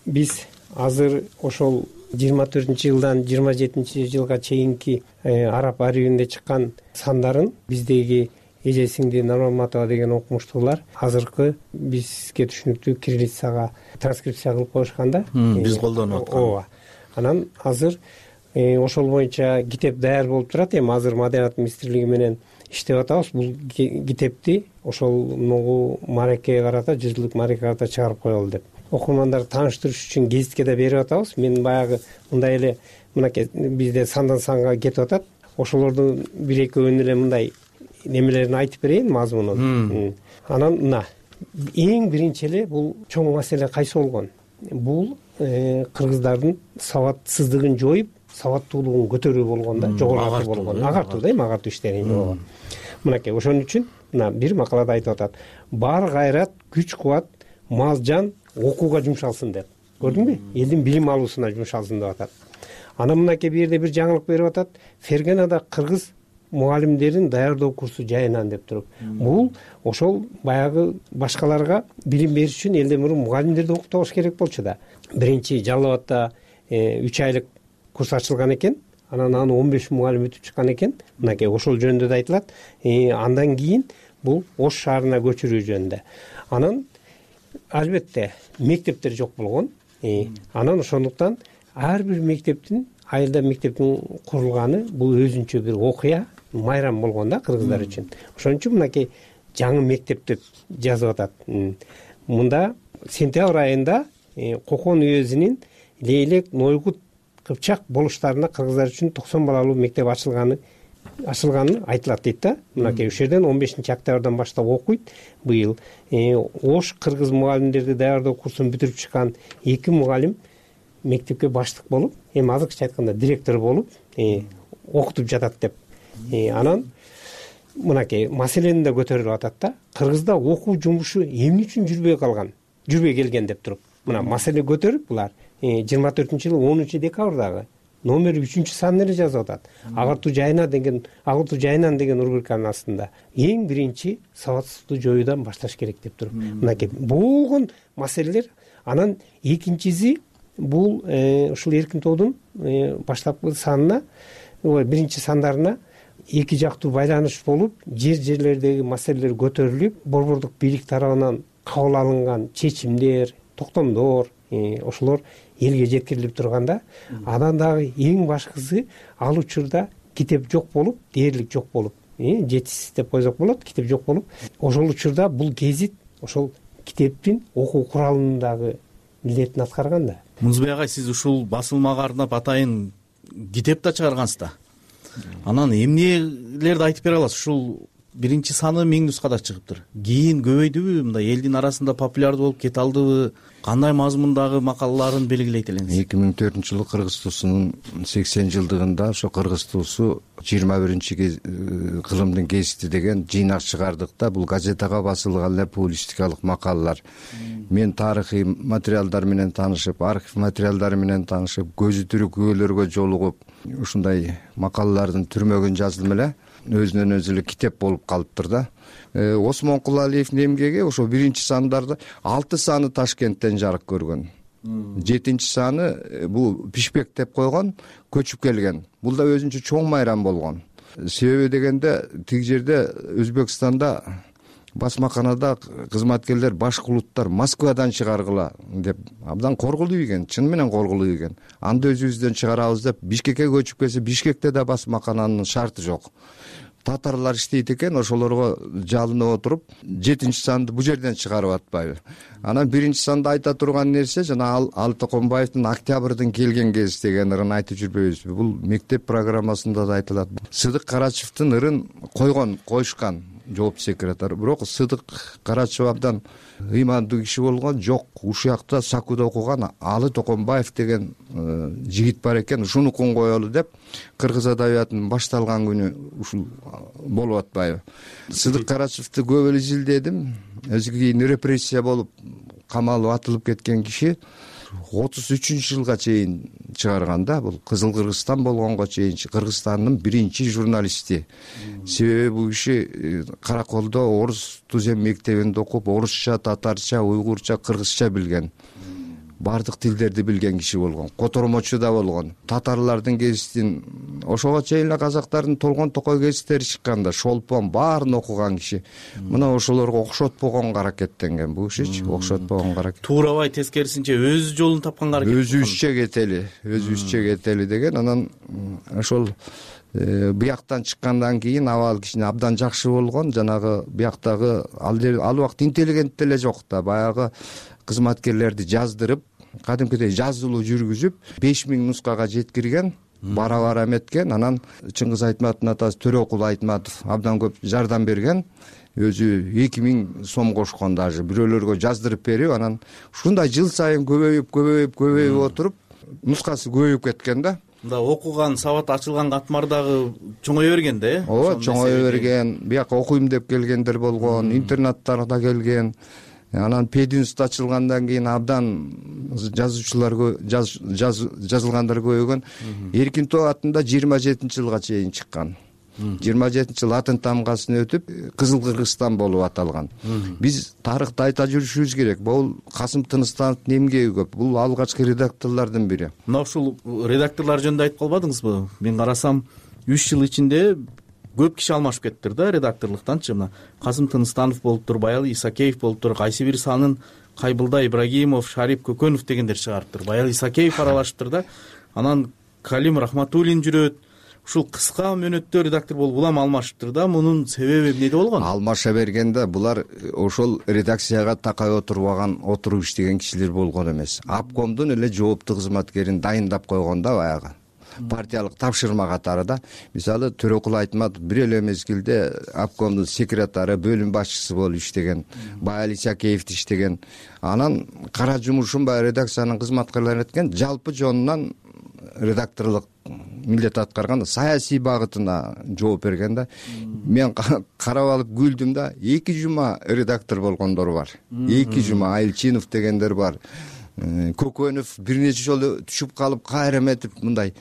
Биз азыр ошол жыйырма төртүнчү жылдан жыйырма жетинчи жылга чейинки араб арабинде чыккан сандарын биздеги Эже сиңди Нурматова деген окумуштуулар азыркы бизге түшүнүктүү кириллицага транскрипция кылып коюшкан да. Биз колдонуп аткан. Ооба. Анан азыр ошол боюнча китеп даяр болуп турат. Эми азыр Маданият министрлиги менен иштеп атабыз. Бул китепти ошол ногу маарекеге карата, жүз жылдык маарекеге карата чыгарып коелу деп. Окурмандарды тааныштырыш үчүн гезитке да берип атабыз. Мен баягы мындай эле мынакей бизде сандан санга кетип атат. Ошолордун бир экөөнүн эле мындай немелерин айтып берейин, мазмунун. Анан мына эң биринчи эле бул чоң маселе кайсы болгон? Бул кыргыздардын сабатсыздыгын жоюп, сабаттуулугун көтөрүү болгон да, жогорулатуу болгон. Агартуу да, эми агартуу иштерин. Мынакей ошон үчүн мына бир макалада айтып атат. Бар кайрат, күч кубат, мал жан окууга жумшалсын деп. Көрдүңбү? Элдин билим алуусуна жумшалсын деп атат. Анан мынакей бир жерде бир жаңылык берип атат. Ферганада кыргыз мугалимдерин даярдоо курсу жайынан деп туруп. Бул ошол баягы башкаларга билим бериш үчүн элден мурун мугалимдерди окутабаш керек болчу да. Биринчи Жалал Абадта үч айлык курс ачылган экен. Анан аны он беш мугалим өтүп чыккан экен. Мынакей ошол жөнүндө да айтылат. Андан кийин бул Ош шаарына көчүрүү жөнүндө. Анан албетте мектептер жок болгон. Анан ошондуктан ар бир мектептин айылда мектептин курулганы бул өзүнчө бир окуя, майрам болгон да кыргыздар үчүн. Ошон үчүн мынакей жаңы мектеп деп жазып атат. Мында сентябрь айында Кокон уезинин Лейлек, Нойгут, Кыпчак болуштарына кыргыздар үчүн токсон балалуу мектеп ачылганы ачылганы айтылат дейт да. Мынакей ушул жерден он бешинчи октябрдан баштап окуйт быйыл. Ош кыргыз мугалимдерди даярдоо курсун бүтүрүп чыккан эки мугалим мектепке баштык болуп, эми азыркыча айтканда директор болуп окутуп жатат деп. Анан мынакей маселени да көтөрүлүп атат да. Кыргызда окуу жумушу эмне үчүн жүрбөй калган, жүрбөй келген деп туруп. Мына маселе көтөрүп булар жыйырма төртүнчү жылы онунчу декабрдагы номер үчүнчү санын эле жазып атат. Агартуу жайына деген, агартуу жайынан деген рубриканын астында эң биринчи сабатсыздыкту жоюудан башташ керек деп туруп мынакей болгон маселелер. Анан экинчиси бул ушул эркин тоодун баштапкы санына, биринчи сандарына эки жактуу байланыш болуп, жер жерлердеги маселелер көтөрүлүп, борбордук бийлик тарабынан кабыл алынган чечимдер, токтомдор ошолор элге жеткирилип турганда, анан дагы эң башкысы ал учурда китеп жок болуп, дээрлик жок болуп, жетишсиз деп койсок болот, китеп жок болуп, ошол учурда бул гезит ошол китептин окуу куралынын дагы милдетин аткарган да. Мунузбек агай, сиз ушул басылмага арнап атайын китеп да чыгаргансыз да. Анан эмнелерди айтып бере аласыз? Ушул биринчи саны миң нускада чыгыптыр. Кийин көбөйдүбү, мындай элдин арасында популярдуу болуп кете алдыбы? Кандай мазмундагы макалаларын белгилейт элеңиз? эки миң төртүнчү жылы Кыргыз туусунун сексен жылдыгында ошо Кыргыз туусу жыйырма биринчи кылымдын гезити деген жыйнак чыгардык да. Бул газетага басылган эле публистикалык макалалар. Мен тарыхый материалдар менен таанышып, архив материалдары менен таанышып, көзү тирүү күбөлөргө жолугуп, ушундай макалалардын түрмөгүн жаздым эле. Өзүнөн өзү эле китеп болуп калыптыр да. Осмон Кулалиевдин эмгеги ошо биринчи сандарды алты саны Ташкенттен жарык көргөн. жетинчи саны бул Пишпек деп койгон, көчүп келген. Бул да өзүнчө чоң майрам болгон. Себеби дегенде тиги жерде Өзбекстанда басмаканада кызматкерлер башкы улуттар Москвадан чыгаргыла деп абдан коргулуу ийген, чын менен коргулуу ийген. Анда өзүбүздөн чыгарабыз деп Бишкекке көчүп келсе, Бишкекте да басмакананын шарты жок. Татарлар иштейт экен, ошолорго жалынып отуруп, жетинчи санды бул жерден чыгарып атпайбы. Анан биринчи санда айта турган нерсе жана Алы Токонбаевдин Октябрдын келген кез деген ырын айтып жүрбөйбүзбү? Бул мектеп программасында да айтылат. Сыдык Карачевдин ырын койгон, коюшкан жоопту секретарь. Бирок Сыдык Карачев абдан ыймандуу киши болгон, жок, ушуякта Сакуда окуган Алы Токонбаев деген жигит бар экен, ушунукун коелу деп кыргыз адабиятынын башталган күнү ушул болуп атпайбы. Сыдык Карачевди көп эле изилдедим. Өзү кийин репрессия болуп камалып атылып кеткен киши отуз үчүнчү жылга чейин чыгарган да. Бул Кызыл Кыргызстан болгонго чейин Кыргызстандын биринчи журналисти. Себеби бул киши Караколдо орус тузем мектебинде окуп, орусча, татарча, уйгурча, кыргызча билген. Бардык тилдерди билген киши болгон. Котормочу да болгон. Татарлардын гезитин, ошого чейин эле казактардын Толгон Токой гезиттери чыккан да, Шолпон баарын окуган киши. Мына ошолорго окшотпогонго аракеттенген бул кишичи, окшотпогонго аракет. Туурабай, тескерисинче өз жолун тапканга аракет. Өзүбүзчө кетели, өзүбүзчө кетели деген. Анан ошол бияктан чыккандан кийин абал кичине абдан жакшы болгон. Жанагы бияктагы ал убакыт интеллигент деле жок да, баягы кызматкерлерди жаздырып, кадимкидей жазылуу жүргүзүп, беш миң нускага жеткирген, бара-бара эметкен. Анан Чыңгыз Айтматовдун атасы Төрөкул Айтматов абдан көп жардам берген. Өзү эки миң сом кошкон, даже бирөөлөргө жаздырып берип, анан ушундай жыл сайын көбөйүп, көбөйүп, көбөйүп отуруп, нускасы көбөйүп кеткен да. Мында окуган, сабат ачылган катмар дагы чоңое берген да, э? Ооба, чоңое берген. Бияка окуйм деп келгендер болгон, интернаттарда келген. Анан пединститут ачылгандан кийин абдан жазуучулар жазылгандар көбөйгөн. Эркин тоо атында жыйырма жетинчи жылга чейин чыккан. жыйырма жетинчи жыл атын тамгасын өтүп, Кызыл Кыргызстан болуп аталган. Биз тарыхты айта жүрүшүбүз керек. Бул Касым Тыныстановдун эмгеги көп. Бул алгачкы редакторлордун бири. Мына ушул редакторлор жөнүндө айтып калбадыңызбы? Мен карасам, үч жыл ичинде көп киши алмашып кеттир да редакторлуктанчы. Мына Касым Тыныстанов болуптур, Баял Исакеев болуптур, кайсы бир санын Кайбылда Ибрагимов, Шарип Көкөнов дегендер чыгарыптыр. Баял Исакеев аралашыптыр да. Анан Калим Рахматуллин жүрөт. Ушул кыска мөөнөттө редактор болуп улам алмашыптыр да. Мунун себеби эмнеде болгон? Алмаша бергенде булар ошол редакцияга такай отурбаган, отуруп иштеген кишилер болгон эмес. Обкомдун эле жооптуу кызматкерин дайындап койгон да баягы. Партиялык тапшырма катары да. Мисалы Төрөкул Айтматов бир эле мезгилде обкомдун секретары, бөлүм башчысы болуп иштеген, Баял Исакеев иштеген. Анан кара жумушун баягы редакциянын кызматкерлери эткен, жалпы жонунан редакторлук милдет аткарган, саясий багытына жооп берген да. Мен карап алып күлдүм да. Эки жума редактор болгондор бар. Эки жума Айылчинов дегендер бар. Көкөнов бир нече жолу түшүп калып, кайра эметип мындай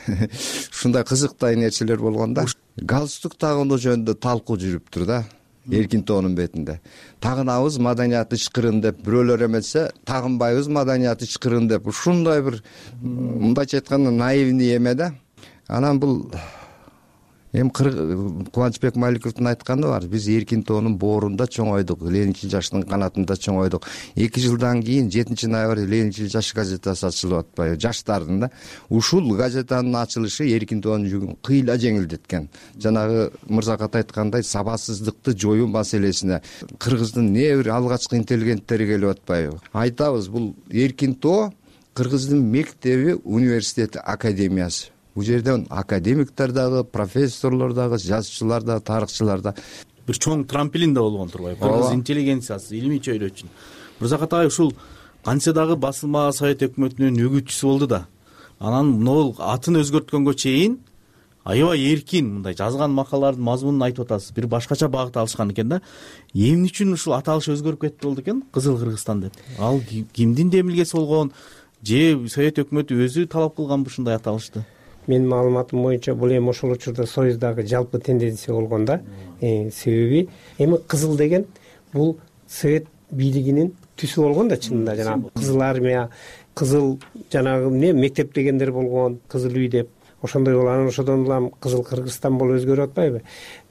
ушундай кызыктуу нерселер болгон да. Галстук тагынуу жөнүндө талкуу жүрүптүр да эркин тоонун бетинде. Тагынабыз маданият ычкырын деп, бирөөлөр эметсе тагынбайбыз маданият ычкырын деп. Ушундай бир мындайча айтканда наивный эме да. Анан бул эми Кубанычбек Маликовдун айтканы бар. Биз эркин тоонун боорунда чоңойдук, Ленинчил жаштын канатында чоңойдук. эки жылдан кийин жетинчи ноябрь Ленинчил жаш газетасы ачылып атпайбы, жаштардын да. Ушул газетанын ачылышы эркин тоонун жүгүн кыйла жеңилдеткен. Жанагы Мырзакат айткандай сабатсыздыкты жоюу маселесине кыргыздын не бир алгачкы интеллигенттери келип атпайбы. Айтабыз, бул эркин тоо кыргыздын мектеби, университети, академиясы. Бул жерден академиктер дагы, профессорлор дагы, жазуучулар дагы, тарыхчылар да бир чоң трамплин да болгон турбайбы? Кыргыз интеллигенциясы, илимий чөйрө үчүн. Мырзакат агай ушул канча дагы басылма Совет өкмөтүнүн өгүтчүсү болду да. Анан могул атын өзгөрткөнгө чейин аябай эркин мындай жазган макалалардын мазмунун айтып атасыз. Бир башкача багыт алышкан экен да. Эмне үчүн ушул аталыш өзгөрүп кетти болду экен? Кызыл Кыргызстан деп. Ал кимдин демилгеси болгон? Же Совет өкмөтү өзү талап кылганбы ушундай аталышты? Менин маалыматым боюнча бул эми ошол учурда Союздагы жалпы тенденция болгон да. Себеби эми кызыл деген бул Совет бийлигинин түсү болгон да чынында. Жанагы кызыл армия, кызыл жанагы эмне мектеп дегендер болгон, кызыл үй деп. Ошондой болуп анан ошодон улам Кызыл Кыргызстан болуп өзгөрүп атпайбы?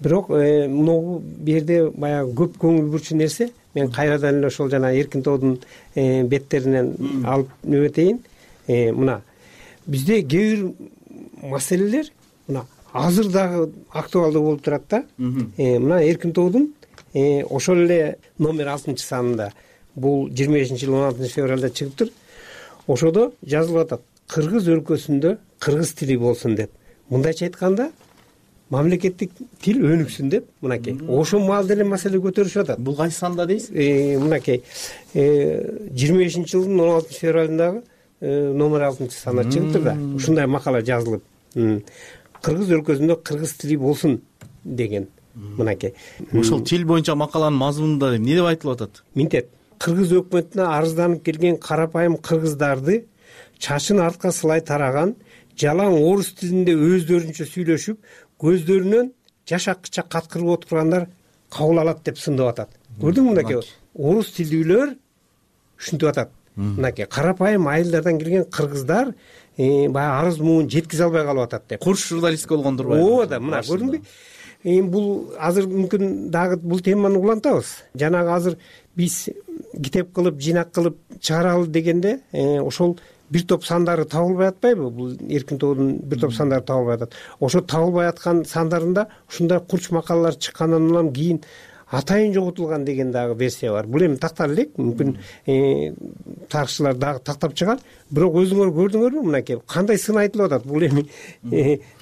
Бирок могу бу жерде баягы көп көңүл бурчу нерсе, мен кайрадан эле ошол жана эркин тоодун беттеринен алып нөбөтейин. Мына бизде кээ бир маселелер мына азыр дагы актуалдуу болуп турат да. Мына эркин тоодун ошол эле номер алтынчы санында, бул жыйырма бешинчи жыл он алтынчы февралда чыгыптыр. Ошодо жазылып атат: кыргыз өлкөсүндө кыргыз тили болсун деп. Мындайча айтканда мамлекеттик тил өнүксүн деп, мынакей. Ошол маалда эле маселе көтөрүшүп атат. Бул кайсы санда дейсиз? Мынакей жыйырма бешинчи жылдын он алтынчы февралындагы номер алтынчы санда чыгыптыр да. Ушундай макала жазылып, кыргыз өлкөсүндө кыргыз тили болсун деген. Мынакей. Ошол тил боюнча макаланын мазмунунда эмне деп айтылып атат? Минтет. Кыргыз өкмөтүнө арызданып келген карапайым кыргыздарды чачын артка сылай тараган, жалаң орус тилинде өздөрүнчө сүйлөшүп, көздөрүнөн жаш акча каткырып отургандар кабыл алат деп сындап атат. Көрдүңбү мынакей? Орус тилдүүлөр ушинтип атат. Мынакей карапайым айылдардан келген кыргыздар баягы арыз муун жеткизе албай калып атат деп. Курч журналистика болгон турбайбы? Ооба да, мына көрдүңбү? Эми бул азыр мүмкүн дагы бул теманы улантабыз. Жанагы азыр биз китеп кылып, жыйнак кылып чыгаралы дегенде ошол бир топ сандары табылбай атпайбы? Бул эркин тоодун бир топ сандары табылбай атат. Ошо табылбай аткан сандарында ушундай курч макалалар чыккандан улам кийин атайын жоготулган деген дагы версия бар. Бул эми тактар элек, мүмкүн тарыхчылар дагы тактап чыгар. Бирок өзүңөр көрдүңөрбү мынакей кандай сын айтылып атат? Бул эми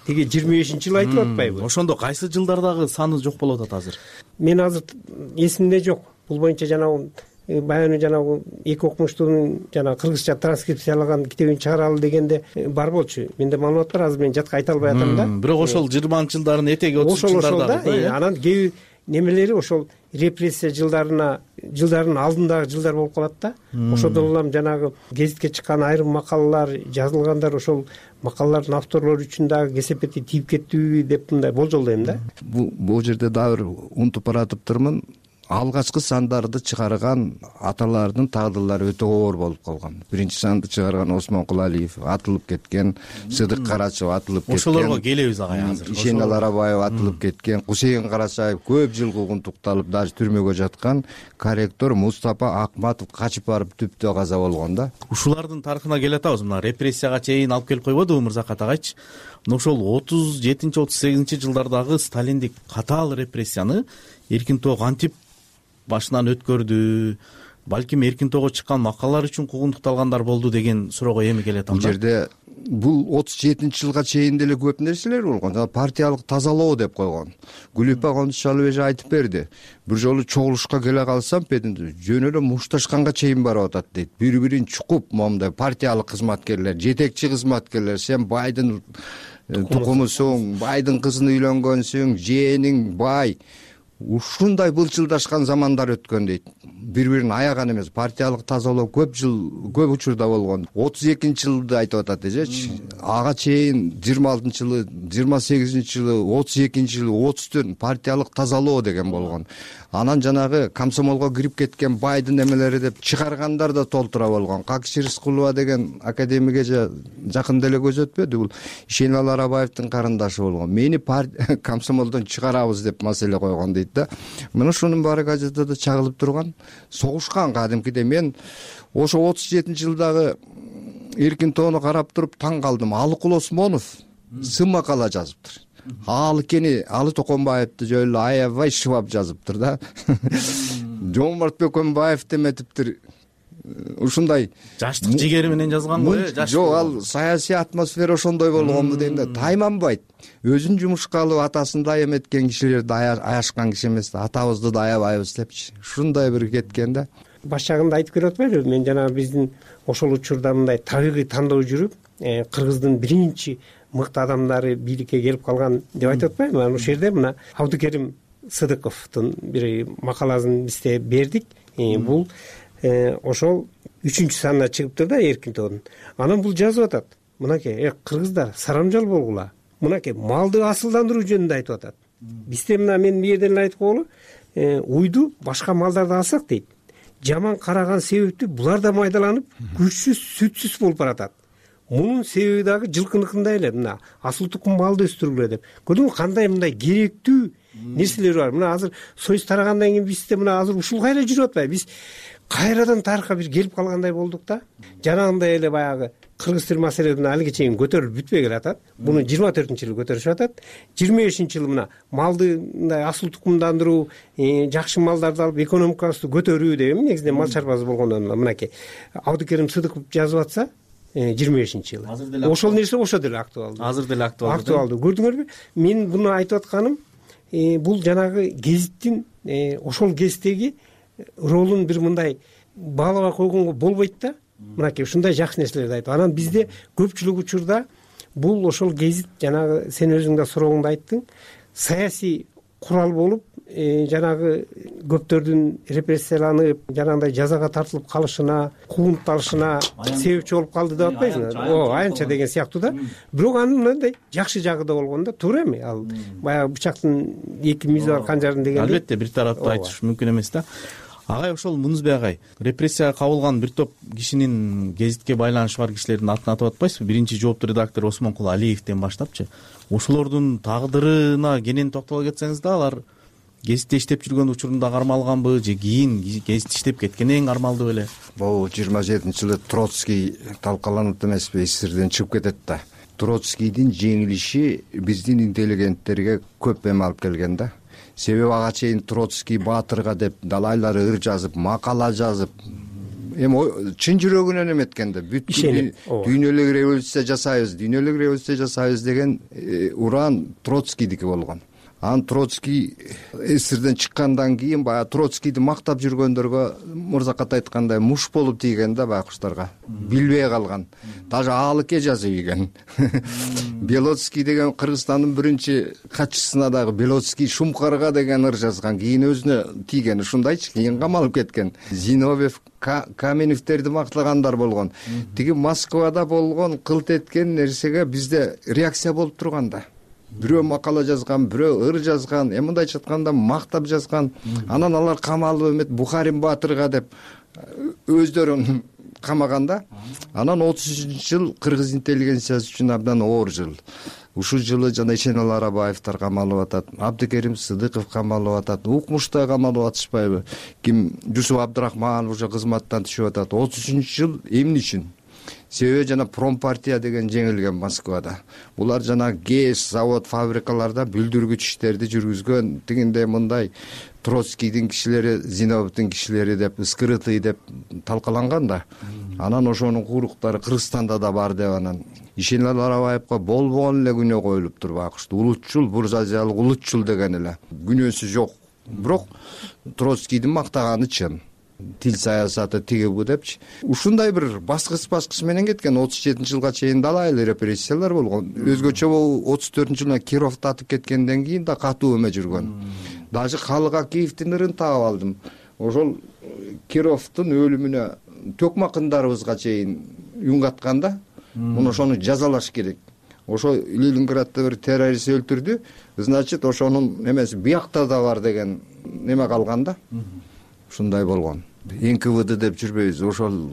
тиги жыйырма бешинчи жыл айтылып атпайбы? Ошондо кайсы жылдардагы саны жок болуп атат азыр? Мен азыр эсимде жок. Бул боюнча жанагы баягы жанагы эки окумуштуунун жанагы кыргызча транскрипциялаган китебин чыгаралы дегенде бар болчу. Менде маалымат бар, азыр мен жатка айта албай атам да. Бирок ошол жыйырманчы жылдардын этеги отузунчу жылдардагы. Анан кээ немелери ошол репрессия жылдарына жылдардын алдындагы жылдар болуп калат да. Ошодон улам жанагы гезитке чыккан айрым макалалар жазылгандар, ошол макалалардын авторлору үчүн дагы кесепети тийип кеттиби деп мындай болжолдойм да. Бул бул жерде дагы бир унутуп баратыптырмын. Алгачкы сандарды чыгарган аталардын тагдырлары өтө оор болуп калган. Биринчи санды чыгарган Осмон Кулалиев атылып кеткен, Сыдык Карачев атылып кеткен. Ошолорго келебиз агай азыр. Ишенел Арабаев атылып кеткен, Кусейин Карачаев көп жыл куугунтукталып, даже түрмөгө жаткан, корректор Мустапа Акматов качып барып түптө каза болгон да. Ушулардын тарыхына келе атабыз. Мына репрессияга чейин алып келип койбодубу Мырзакат агайчы? Ошол отуз жетинчи отуз сегизинчи жылдардагы сталиндик катаал репрессияны эркин тоо кантип башынан өткөрдү, балким эркин тоого чыккан макалалар үчүн куугунтукталгандар болду деген суроого эми келет анда. Бул жерде бул отуз жетинчи жылга чейин деле көп нерселер болгон. Партиялык тазалоо деп койгон. Гүлүпа Кондушалов эже айтып берди. Бир жолу чогулушка келе калсам, жөн эле мушташканга чейин барып атат дейт. Бири-бирин чукуп, момундай партиялык кызматкерлер, жетекчи кызматкерлер, сен байдын тукумусуң, байдын кызын үйлөнгөнсүң, жээниң бай. ушундай былчылдашкан замандар өткөн дейт. Бири бирин аяган эмес, партиялык тазалоо көп жыл көп учурда болгон. отуз экинчи жылды айтып атат эжечи. Ага чейин жыйырма алтынчы жылы, жыйырма сегизинчи жылы, отуз экинчи жылы, отуз төрт партиялык тазалоо деген болгон. Анан жанагы комсомолго кирип кеткен байдын эмелери деп чыгаргандар да толтура болгон. Какши Рыскулова деген академик эже жакында эле көз өтпөдү, бул Ишеналы Арабаевдин карындашы болгон. Мени комсомолдон чыгарабыз деп маселе койгон дейт да. Мына ушунун баары газетада чагылып турган. Согушкан кадимкидей. Мен ошо отуз жетинчи жылдагы Эркин тоону карап туруп таң калдым. Алыкул Осмонов сын макала жазыптыр. Ал кени Алы Токонбаевди жөн эле аябай шыбап жазыптыр да. Жомарт Бөкөнбаев деметиптир. Ушундай жаштык жигери менен жазган го, э? Жок, ал саясий атмосфера ошондой болгонбу дейм да. Тайманбайт. Өзүн жумушка алып атасын да эметкен кишилерди аяшкан киши эмес да. Атабызды да аябайбыз депчи. Ушундай бир кеткен да. Баш жагында айтып берип атпайбы? Мен жана биздин ошол учурда мындай табигый тандоо жүрүп, Кыргыздын биринчи мыкты адамдары бийликке келип калган деп айтып атпайбы? Анан ошол жерде мына Абдыкерим Сыдыковдун бир макаласын бизде бердик. Бул ошол үчүнчү санына чыгыптыр да Эркин тоонун. Анан бул жазып атат. Мынакей, кыргыздар сарамжал болгула. Мынакей малды асылдандыруу жөнүндө айтып атат. Бизде мына мен бу жерден эле айтып коелу, уйду башка малдарды алсак дейт. Жаман караган себептүү булар да майдаланып, күчсүз, сүтсүз болуп баратат. Мунун себеби дагы жылкыныкындай эле, мына асыл тукум малды өстүргүлө деп. Көрдүңбү кандай мындай керектүү нерселер бар. Мына азыр союз тарагандан кийин бизде мына азыр ушул кайра жүрүп атпайбы? Биз кайрадан тарыхка бир келип калгандай болдук да. Жанагындай эле баягы кыргыз тил маселеси алиге чейин көтөрүлүп бүтпөй келатат. Буну жыйырма төртүнчү жылы көтөрүшүп атат. жыйырма бешинчи жылы мына малды мындай асыл тукумдандыруу, жакшы малдарды алып экономикабызды көтөрүү деп негизинен мал чарбасы болгондон мынакей Абдыкерим Сыдыков жазып атса жыйырма бешинчи жылы. Ошол нерсе ошо деле актуалдуу. Азыр деле актуалдуу. Актуалдуу. Көрдүңөрбү? Мен буну айтып атканым бул жанагы гезиттин ошол кездеги ролун бир мындай баалабай койгонго болбойт да. Мынакей ушундай жакшы нерселерди айтып. Анан бизде көпчүлүк учурда бул ошол гезит жанагы сен өзүң да сурооңдо айттың, саясий курал болуп, жанагы көптөрдүн репрессияланып, жанагындай жазага тартылып калышына, куугунталышына себепчи болуп калды деп атпайсыңбы? О, аянча деген сыяктуу да. Бирок анын мындай жакшы жагы да болгон да, туура эми? Ал баягы бычактын эки мизи бар канжардын деген. Албетте, бир тараптуу айтыш мүмкүн эмес да. Агай, ошол Мунузбек агай, репрессияга кабылган бир топ кишинин гезитке байланышы бар кишилердин атын атап атпайсызбы? Биринчи жооптуу редактор Осмонкул Алиевден баштапчы. Ошолордун тагдырына кенен токтоло кетсеңиз да, алар гезитте иштеп жүргөн учурунда кармалганбы же кийин гезитте иштеп кеткенден кармалды беле? Бул жыйырма жетинчи жылы Троцкий талкаланып эмеспи, эсирден чыгып кетет да. Троцкийдин жеңилиши биздин интеллигенттерге көп эме алып келген да. Себеби ага чейин Троцкий баатырга деп далайлар ыр жазып, макала жазып, эми чын жүрөгүнөн эметкен да. Бүт дүйнөлүк революция жасайбыз, дүйнөлүк революция жасайбыз деген уран Троцкийдики болгон. Анан Троцкий эсирден чыккандан кийин баягы Троцкийди мактап жүргөндөргө мырзакат айткандай муш болуп тийген да байкуштарга. Билбей калган. Даже Алыке жазып ийген. Белоцкий деген Кыргызстандын биринчи катчысына дагы Белоцкий Шумкарга деген ыр жазган. Кийин өзүнө тийген ушундайчы, кийин камалып кеткен. Зиновьев, Каменевтерди мактагандар болгон. Тиги Москвада болгон кылт эткен нерсеге бизде реакция болуп турган да. Бирөө макала жазган, бирөө ыр жазган, эми мындайча айтканда мактап жазган. Анан алар камалып эмет Бухарин баатырга деп өздөрүн камаганда. Анан отуз үчүнчү жыл кыргыз интеллигенциясы үчүн абдан оор жыл. Ушул жылы жана Ишеналы Арабаевдер камалып атат, Абдыкерим Сыдыков камалып атат, укмушта камалып атышпайбы? Ким Жусуп Абдрахманов уже кызматтан түшүп атат. отуз үчүнчү жыл эмне үчүн? Себеби жана промпартия деген жеңилген Москвада. Булар жана ГЭС, завод, фабрикаларда бүлдүргүч иштерди жүргүзгөн, тигиндей мындай Троцкийдин кишилери, Зиновьевдин кишилери деп, скрытый деп талкаланган да. Анан ошонун куруктары Кыргызстанда да бар деп анан Ишеналы Арабаевга болбогон эле күнөө коюлуп тур байкушту. Улутчул, буржуазиялык улутчул деген эле. Күнөөсү жок. Бирок Троцкийдин мактаганы чын. Тил саясаты тиги бу депчи. Ушундай бир баскыч баскыч менен кеткен. отуз жетинчи жылга чейин далайлы репрессиялар болгон. Өзгөчө отуз төртүнчү жылы Кировду атып кеткенден кийин да катуу эме жүргөн. даже халык акиевдин ырын таап алдым. Ошол Кировдун өлүмүнө төкмак ындарыбызга чейин үн каткан да. Муну ошону жазалаш керек. Ошо Ленинградда бир террорист өлтүрдү, значит ошонун немеси биякта да бар деген неме калган да. Ушундай болгон. эн ка вэ дэ деп жүрбөйбүз, ошол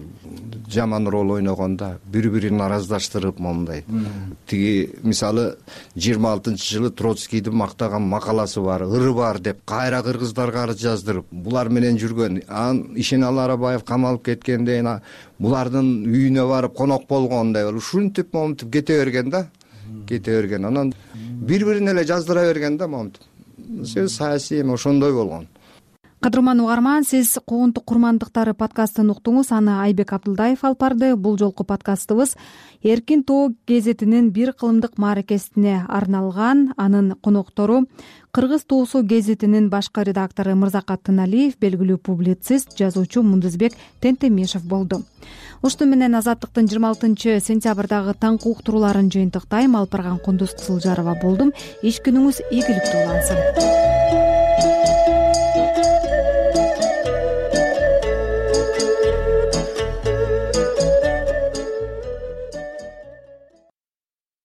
жаман роль ойногон да, бири бирин араздаштырып моундай. Тиги мисалы жыйырма алтынчы жылы Троцкийдин мактаган макаласы бар, ыры бар деп кайра кыргыздарга арыз жаздырып, булар менен жүргөн. Анан Ишеналы Арабаев камалып кеткенде булардын үйүнө барып конок болгондой, ушинтип момунтип кете берген да. Кете берген. Анан бири-бирин эле жаздыра берген да момунтип. Сөз саясий эми ошондой болгон. Кадырман угарман, сиз Куугунтук курмандыктары подкастын уктуңуз. Аны Айбек Абдылдаев алып барды. Бул жолку подкастыбыз Эркин тоо гезитинин бир кылымдык мааракесине арналган. Анын коноктору Кыргыз тоосу гезитинин башкы редактору Мырзакат Тыналиев, белгилүү публицист, жазуучу Мундузбек Тентемишев болду. Ушуну менен Азаттыктын жыйырма алтынчы сентябрдагы таңкы уктурууларын жыйынтыктайм. Алып барган Кундуз Кызылжарова болдум. Иш күнүңүз ийгиликтүү улансын.